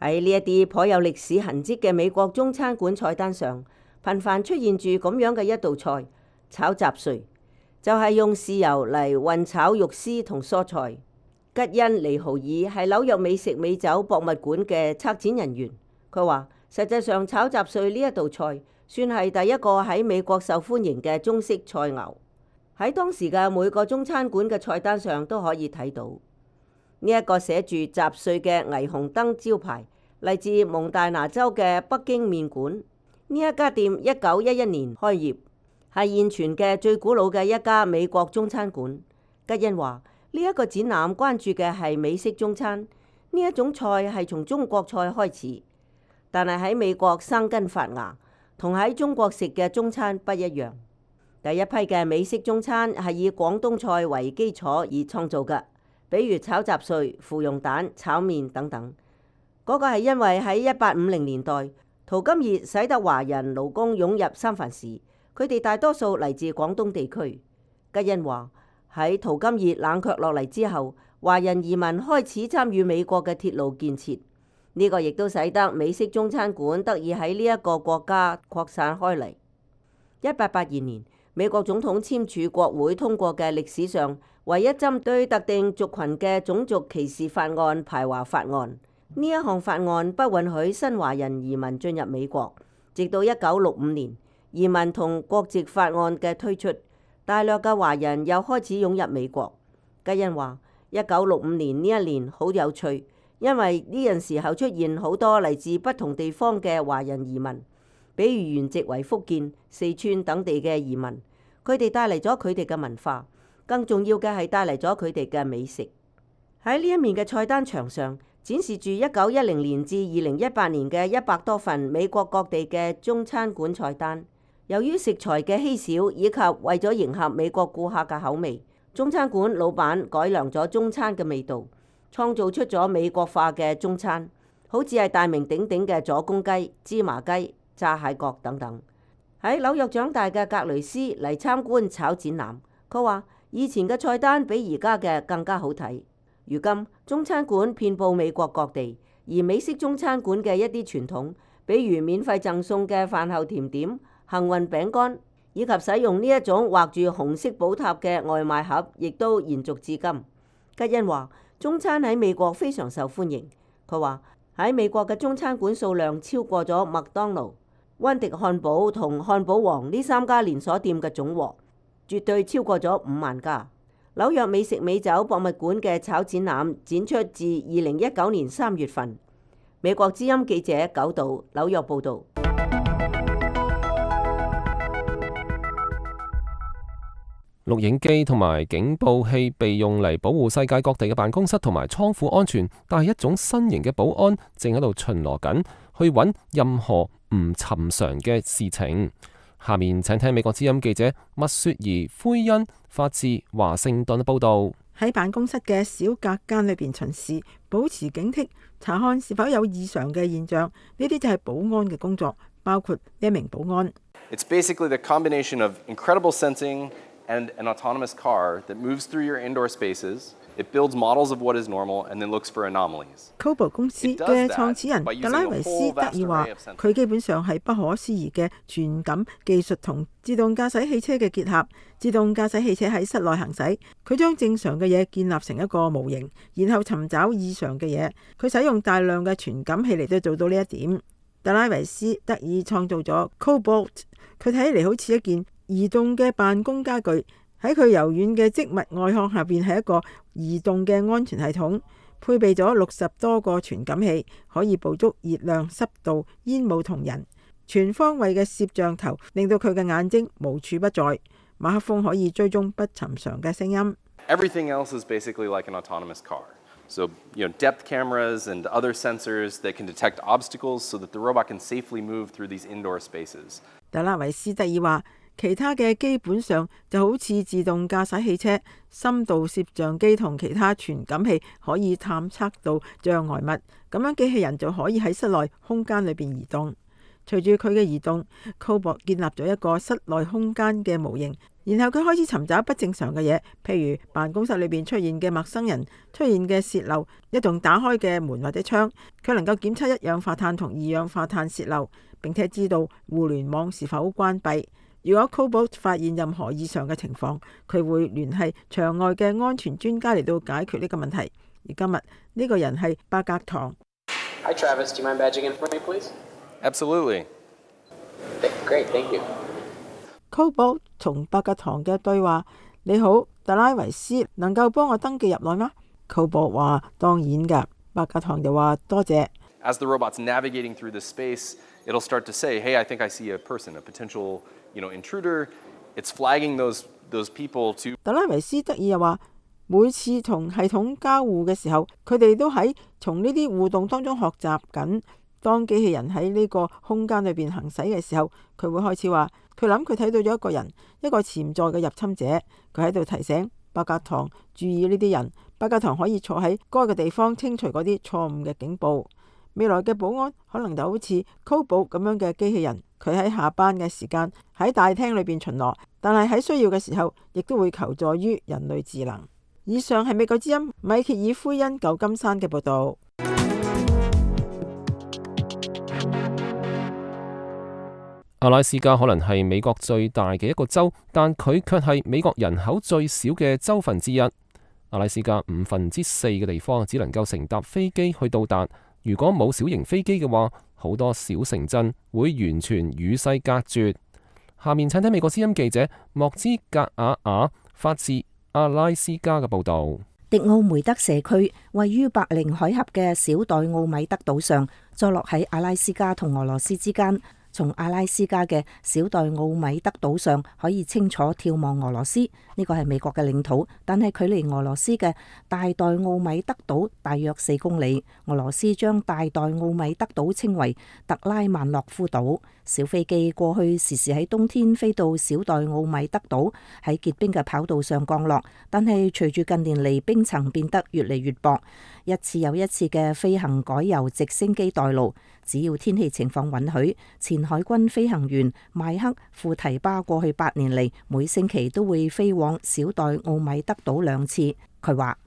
喺呢一啲頗有歷史痕跡嘅美國中餐館菜單上，頻繁出現住咁樣嘅一道菜——炒雜碎，就係、是、用豉油嚟混炒肉絲同蔬菜。吉恩尼豪爾係紐約美食美酒博物館嘅策展人員，佢話：實際上炒雜碎呢一道菜算係第一個喺美國受歡迎嘅中式菜餚，喺當時嘅每個中餐館嘅菜單上都可以睇到。呢一個寫住雜碎嘅霓虹燈招牌，嚟自蒙大拿州嘅北京麵館。呢一家店一九一一年開業，係現存嘅最古老嘅一家美國中餐館。吉恩話：呢一個展覽關注嘅係美式中餐，呢一種菜係從中國菜開始，但係喺美國生根發芽，同喺中國食嘅中餐不一樣。第一批嘅美式中餐係以廣東菜為基礎而創造嘅，比如炒雜碎、芙蓉蛋、炒麵等等。嗰個係因為喺一八五零年代，淘金熱使得華人勞工湧入三藩市，佢哋大多數嚟自廣東地區。吉恩話喺淘金熱冷卻落嚟之後，華人移民開始參與美國嘅鐵路建設，呢、這個亦都使得美式中餐館得以喺呢一個國家擴散開嚟。一八八二年，美國總統簽署國會通過嘅歷史上唯一針對特定族群嘅種族歧視法案排華法案。呢一項法案不允許新華人移民進入美國，直到一九六五年移民同國籍法案嘅推出，大量嘅華人又開始湧入美國。吉恩話：一九六五年呢一年好有趣，因為呢陣時候出現好多嚟自不同地方嘅華人移民，比如原籍為福建、四川等地嘅移民，佢哋帶嚟咗佢哋嘅文化，更重要嘅係帶嚟咗佢哋嘅美食。喺呢一面嘅菜單牆上，展示住一九一零年至二零一八年嘅一百多份美國各地嘅中餐館菜單。由於食材嘅稀少，以及為咗迎合美國顧客嘅口味，中餐館老闆改良咗中餐嘅味道，創造出咗美國化嘅中餐，好似係大名鼎鼎嘅左公雞、芝麻雞、炸蟹角等等。喺紐約長大嘅格雷斯嚟參觀炒展覽，佢話以前嘅菜單比而家嘅更加好睇。如今中餐館遍佈美國各地，而美式中餐館嘅一啲傳統，比如免費贈送嘅飯後甜點、幸運餅乾，以及使用呢一種畫住紅色寶塔嘅外賣盒，亦都延續至今。吉恩話：中餐喺美國非常受歡迎。佢話喺美國嘅中餐館數量超過咗麥當勞、溫迪漢堡同漢堡王呢三家連鎖店嘅總和，絕對超過咗五萬家。紐約美食美酒博物館嘅炒展覽展出自二零一九年三月份。美國之音記者九道紐約報導。錄影機同埋警報器被用嚟保護世界各地嘅辦公室同埋倉庫安全，但係一種新型嘅保安正喺度巡邏緊，去揾任何唔尋常嘅事情。下面請聽美國之音記者麥雪兒灰恩發自華盛頓嘅報道。喺辦公室嘅小隔間裏邊巡視，保持警惕，查看是否有異常嘅現象。呢啲就係保安嘅工作，包括呢一名保安。It's basically the combination of incredible sensing and an autonomous car that moves through your indoor spaces. It builds models of what is normal and then looks for anomalies. Kobo 公司嘅創始人特拉維斯德爾話：佢基本上係不可思議嘅傳感技術同自動駕駛汽車嘅結合。自動駕駛汽車喺室內行駛，佢將正常嘅嘢建立成一個模型，然後尋找異常嘅嘢。佢使用大量嘅傳感器嚟到做到呢一點。特拉維斯德爾創造咗 Cobalt， 佢睇起嚟好似一件移動嘅辦公家具。喺佢柔軟嘅織物外殼下邊係一個移動嘅安全系統，配備咗六十多個傳感器，可以捕捉熱量、濕度、煙霧同人。全方位嘅攝像頭令到佢嘅眼睛無處不在。馬克風可以追蹤不尋常嘅聲音。Everything else is basically like an autonomous car. So, you know, depth cameras and other sensors that can detect obstacles so that the robot can safely move through these indoor spaces. 特拉維斯特爾話：其他嘅基本上就好似自動駕駛汽車、深度攝像機同其他傳感器可以探測到障礙物，咁樣機器人就可以喺室內空間裏邊移動。隨住佢嘅移動 Cobalt 建立咗一個室內空間嘅模型，然後佢開始尋找不正常嘅嘢，譬如辦公室裏邊出現嘅陌生人、出現嘅洩漏、一棟打開嘅門或者窗。佢能夠檢測一氧化碳同二氧化碳洩漏，並且知道互聯網是否關閉。如果 Cobalt 發現任何異常嘅情況，佢會聯繫場外嘅安全專家嚟到解決呢個問題。而今日呢個人係伯格唐。Hi Travis, do you mind badging in for me, please? Absolutely. Great, thank you. Cobalt 同伯格唐嘅對話：你好，特拉維斯，能夠幫我登記入內嗎？ Cobalt 話：當然㗎。伯格唐就話：多謝。As the robot's navigating through the space, it'll start to say, "Hey, I think I see a person, a potential, you know, intruder." It's flagging those those people to. 特拉維斯德爾又話：每次同系統交互嘅時候，佢哋都喺從呢啲互動當中學習緊。當機器人喺呢個空間裏邊行駛嘅時候，佢會開始話：佢諗佢睇到咗一個人，一個潛在嘅入侵者。佢喺度提醒伯格唐注意呢啲人。伯格唐可以坐喺該個地方清除嗰啲錯誤嘅警報。未來嘅保安可能就好似 Cobalt 咁樣嘅機器人，佢喺下班嘅時間喺大廳裏邊巡邏，但係喺需要嘅時候亦都會求助於人類智能。以上係美國之音米歇爾奎恩舊金山嘅報道。阿拉斯加可能係美國最大嘅一個州，但佢卻係美國人口最少嘅州份之一。阿拉斯加五分之四嘅地方只能夠乘搭飛機去到達，如果冇小型飛機嘅話，好多小城鎮會完全與世隔絕。下面請睇美國之音記者莫茲格瓦瓦發自阿拉斯加嘅報道。迪奧梅德社區位於白令海峽嘅小代奧米德島上，坐落喺阿拉斯加同俄羅斯之間。從阿拉斯加嘅小代奧米德島上可以清楚眺望俄羅斯，呢個係美國嘅領土，但係距離俄羅斯嘅大代奧米德島大約四公里。俄羅斯將大代奧米德島稱為特拉曼諾夫島。小飛機過去時時喺冬天飛到小代奧米德島，喺結冰嘅跑道上降落，但係隨住近年嚟冰層變得越嚟越薄，一次又一次嘅飛行改由直升機代勞。只要天氣情況允許，前海軍飛行員邁克庫提巴過去八年嚟，每星期都會飛往小代奧米德島兩次。佢話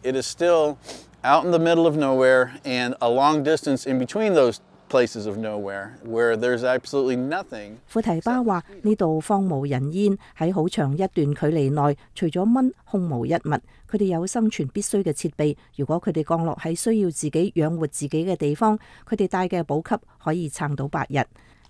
：It is still out in the middle of nowhere and a long distance in between those places of nowhere where there's absolutely nothing。庫提巴話：呢度荒無人煙，喺好長一段距離內，除咗蚊，空無一物。佢哋有生存必須嘅設備，如果佢哋降落喺需要自己養活自己嘅地方，佢哋帶嘅補給可以撐到八日。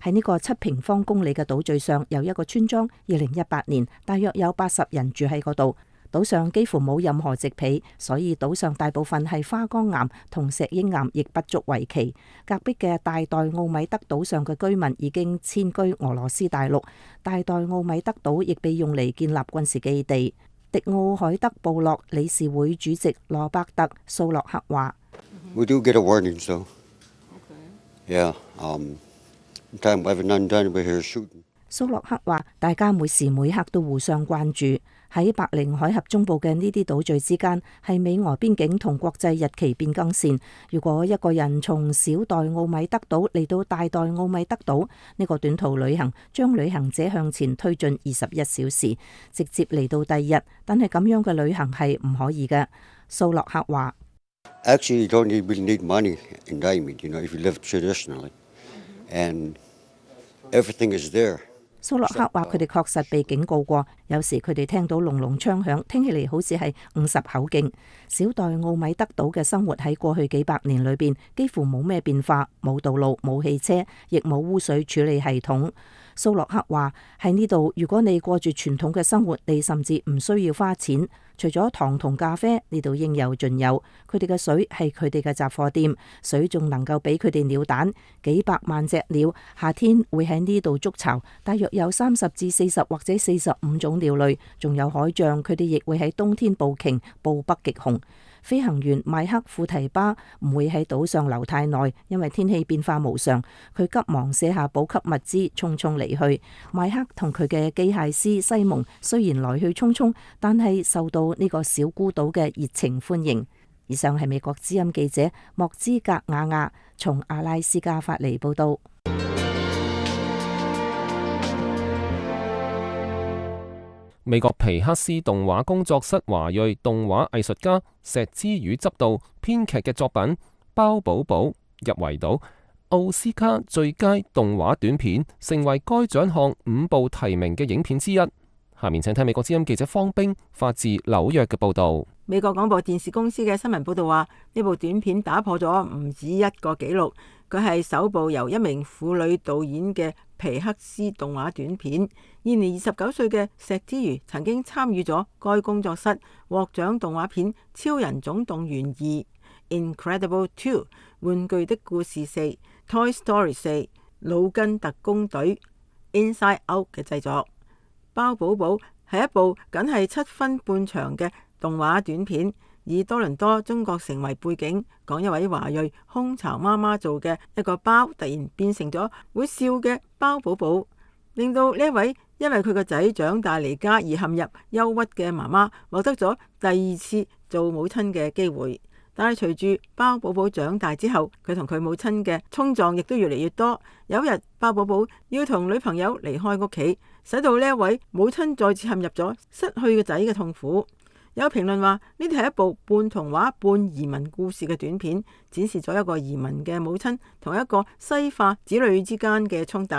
喺呢個七平方公里嘅島嶼上有一個村莊，二零一八年大約有八十人住喺嗰度。島上幾乎冇任何植被，所以島上大部分係花崗岩同石英岩，亦不足為奇。隔壁嘅大代奧米德島上嘅居民已經遷居俄羅斯大陸，大代奧米德島亦被用嚟建立軍事基地。迪奧海德部落理事會主席羅伯特蘇洛克話：We do get a warning, so yeah, um, time we have none done, we're here shooting. 蘇洛克話：大家每時每刻都互相關注。喺白令海峽中部嘅呢啲島嶼之間係美俄邊境同國際日期變更線。如果一個人從小代奧米德島嚟到大代奧米德島，呢個短途旅行將旅行者向前推進二十一小時，直接嚟到第二日。但係咁樣嘅旅行係唔可以嘅。蘇洛克話：Actually, you don't need, really need money in diamond, you know, if you live traditionally, and everything is there. 蘇洛克話：佢哋確實被警告過，有時佢哋聽到隆隆槍響，聽起嚟好似係五十口徑。小代奧米德島嘅生活喺過去幾百年裏邊幾乎冇咩變化，冇道路、冇汽車，亦冇污水處理系統。蘇洛克話：喺呢度，如果你過住傳統嘅生活，你甚至唔需要花錢。除咗糖同咖啡，呢度應有盡有。佢哋嘅水係佢哋嘅雜貨店，水仲能夠俾佢哋鳥蛋。幾百萬隻鳥夏天會喺呢度築巢，大約有三十至四十或者四十五種鳥類，仲有海象。佢哋亦會喺冬天捕鯨，捕北極熊。飛行員邁克庫提巴唔會喺島上留太耐，因為天氣變化無常。佢急忙卸下補給物資，匆匆離去。邁克同佢嘅機械師西蒙雖然來去匆匆，但係受到呢個小孤島嘅熱情歡迎。以上係美國之音記者莫茲格瓦瓦從阿拉斯加發嚟報道。美國皮克斯動畫工作室華裔動畫藝術家石之宇執導編劇嘅作品《包寶寶》入圍到奧斯卡最佳動畫短片，成為該獎項五部提名嘅影片之一。下面請睇美國之音記者方冰發自紐約嘅報道。美國廣播電視公司嘅新聞報道話，呢部短片打破咗唔止一個紀錄，佢係首部由一名婦女導演嘅皮克斯動畫短片。現年二十九歲嘅石之瑜曾經參與咗該工作室獲獎動畫片《超人總動員二》、《Incredible two》、《玩具的故事四》、《Toy Story 四》、《腦筋特工隊》、《Inside Out》嘅製作。包寶寶係一部僅係七分半長嘅動畫短片，以多倫多中國城為背景，講一位華裔空巢媽媽做嘅一個包突然變成咗會笑嘅包寶寶，令到呢一位因為佢個仔長大離家而陷入憂鬱嘅媽媽獲得咗第二次做母親嘅機會。但係隨住包寶寶長大之後，佢同佢母親嘅衝撞亦都越嚟越多。有一日，包寶寶要同女朋友離開屋企，使到呢一位母親再次陷入咗失去個仔嘅痛苦。有評論話，呢啲係一部半童話半移民故事嘅短片，展示咗一個移民嘅母親同一個西化子女之間嘅衝突。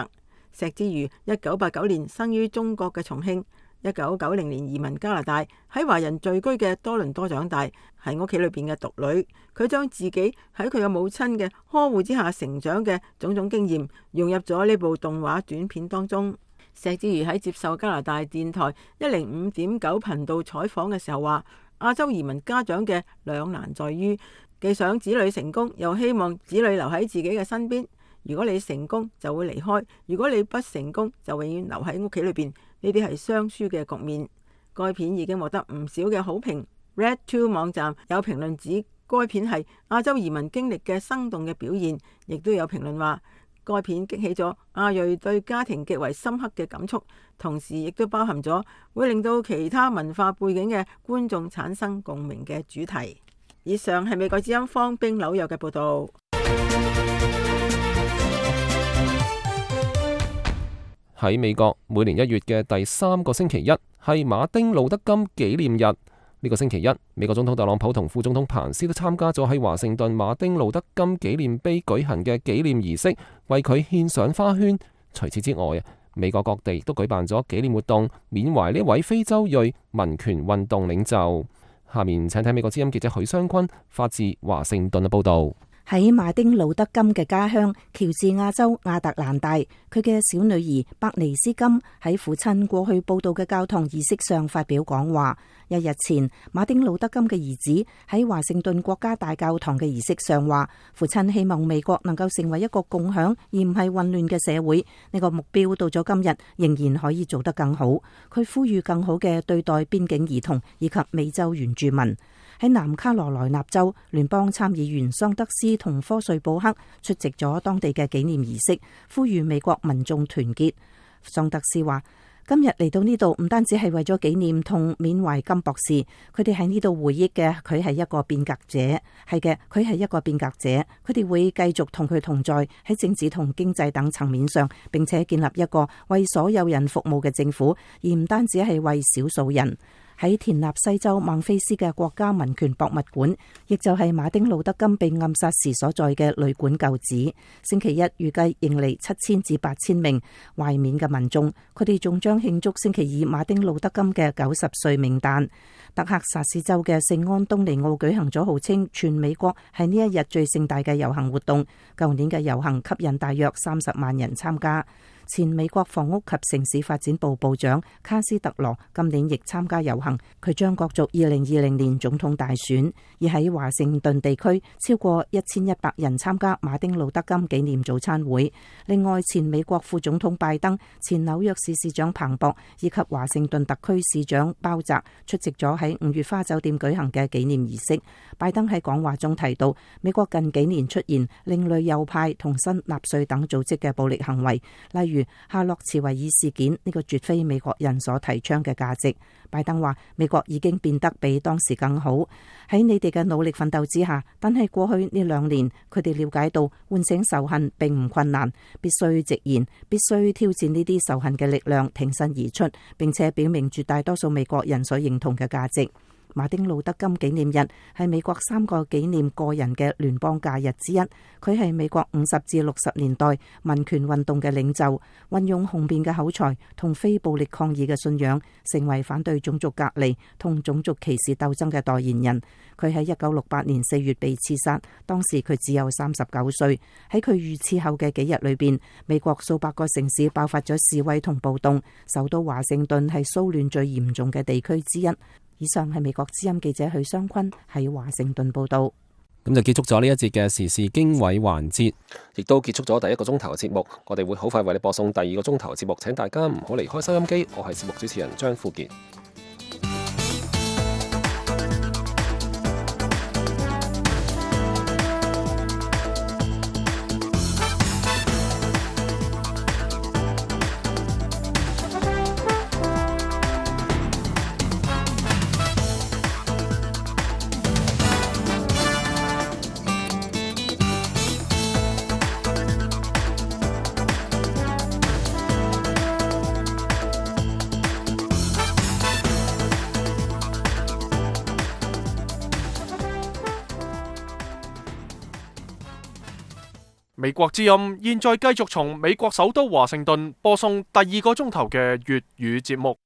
石之瑜一九八九年生於中國嘅重慶，一九九零年移民加拿大，喺華人聚居嘅多倫多長大，係屋企裏邊嘅獨女。佢將自己喺佢嘅母親嘅呵護之下成長嘅種種經驗融入咗呢部動畫短片當中。石之瑜喺接受加拿大電台一零五點九頻道採訪嘅時候話，亞洲移民家長嘅兩難在於，既想子女成功，又希望子女留喺自己嘅身邊。如果你成功就會離開，如果你不成功就永遠留喺屋企裏邊，呢啲係雙輸嘅局面。該片已經獲得唔少嘅好評。Red Two 網站有評論指該片係亞洲移民經歷嘅生動嘅表現，亦都有評論話該片激起咗亞裔對家庭極為深刻嘅感觸，同時亦都包含咗會令到其他文化背景嘅觀眾產生共鳴嘅主題。以上係美國之音方冰紐約嘅報導。喺美國，每年一月嘅第三個星期一係馬丁路德金紀念日。呢個星期一，美國總統特朗普同副總統彭斯都參加咗喺華盛頓馬丁路德金紀念碑舉行嘅紀念儀式，為佢獻上花圈。除此之外啊，美國各地都舉辦咗紀念活動，緬懷呢位非洲裔民權運動領袖。下面請睇美國之音記者許湘坤發自華盛頓嘅報導。喺馬丁路德金嘅家鄉喬治亞州亞特蘭大，佢嘅小女兒伯尼斯金喺父親過去報道嘅教堂儀式上發表講話。一日前，馬丁路德金嘅兒子喺華盛頓國家大教堂嘅儀式上話，父親希望美國能夠成為一個共享而唔係混亂嘅社會。呢個目標到咗今日仍然可以做得更好。佢呼籲更好嘅對待邊境兒童以及美洲原住民。喺南卡羅來納州，聯邦參議員桑德斯同科瑞布克出席咗當地嘅紀念儀式，呼籲美國民眾團結。桑德斯話：今日嚟到呢度唔單止係為咗紀念同緬懷金博士，佢哋喺呢度回憶嘅佢係一個變革者，係嘅，佢係一個變革者。佢哋會繼續同佢同在喺政治同經濟等層面上，並且建立一個為所有人服務嘅政府，而唔單止係為少數人。喺田納西州孟菲斯嘅國家民權博物館，亦就係馬丁路德金被暗殺時所在嘅旅館舊址，星期一預計迎嚟七千至八千名懷緬嘅民眾，佢哋仲將慶祝星期二馬丁路德金嘅九十歲冥誕。德克薩斯州嘅聖安東尼奧舉行咗號稱全美國係呢一日最盛大嘅遊行活動，舊年嘅遊行吸引大約三十萬人參加。前美國房屋及城市發展部部長卡斯特羅今年亦參加遊行，佢將角逐二零二零年總統大選。而喺華盛頓地區，超過一千一百人參加馬丁路德金紀念早餐會。另外，前美國副總統拜登、前紐約市市長彭博以及華盛頓特區市長鮑澤出席咗喺五月花酒店舉行嘅紀念儀式。拜登喺講話中提到，美國近幾年出現另類右派同新納粹等組織嘅暴力行為，例如夏洛茨維爾事件，呢個絕非美國人所提倡嘅價值。拜登話：美國已經變得比當時更好，喺你哋嘅努力奮鬥之下，但係過去呢兩年，佢哋了解到喚醒仇恨並唔困難，必須直言，必須挑戰呢啲仇恨嘅力量，挺身而出，並且表明絕大多數美國人所認同嘅價值。馬丁路德金紀念日係美國三個紀念個人嘅聯邦假日之一。佢係美國五十至六十年代民權運動嘅領袖，運用雄辯嘅口才同非暴力抗議嘅信仰，成為反對種族隔離同種族歧視鬥爭嘅代言人。佢喺一九六八年四月被刺殺，當時佢只有三十九歲。喺佢遇刺後嘅幾日裏邊，美國數百個城市爆發咗示威同暴動，首都華盛頓係騷亂最嚴重嘅地區之一。以上係美國之音記者許湘坤喺華盛頓報道。咁就結束咗呢一節嘅時事經緯環節，亦都結束咗第一個鐘頭嘅節目。我哋會好快為你播送第二個鐘頭節目，請大家唔好離開收音機。我係節目主持人張富傑。美國之音現在繼續從美國首都華盛頓播送第二個鐘頭嘅粵語節目。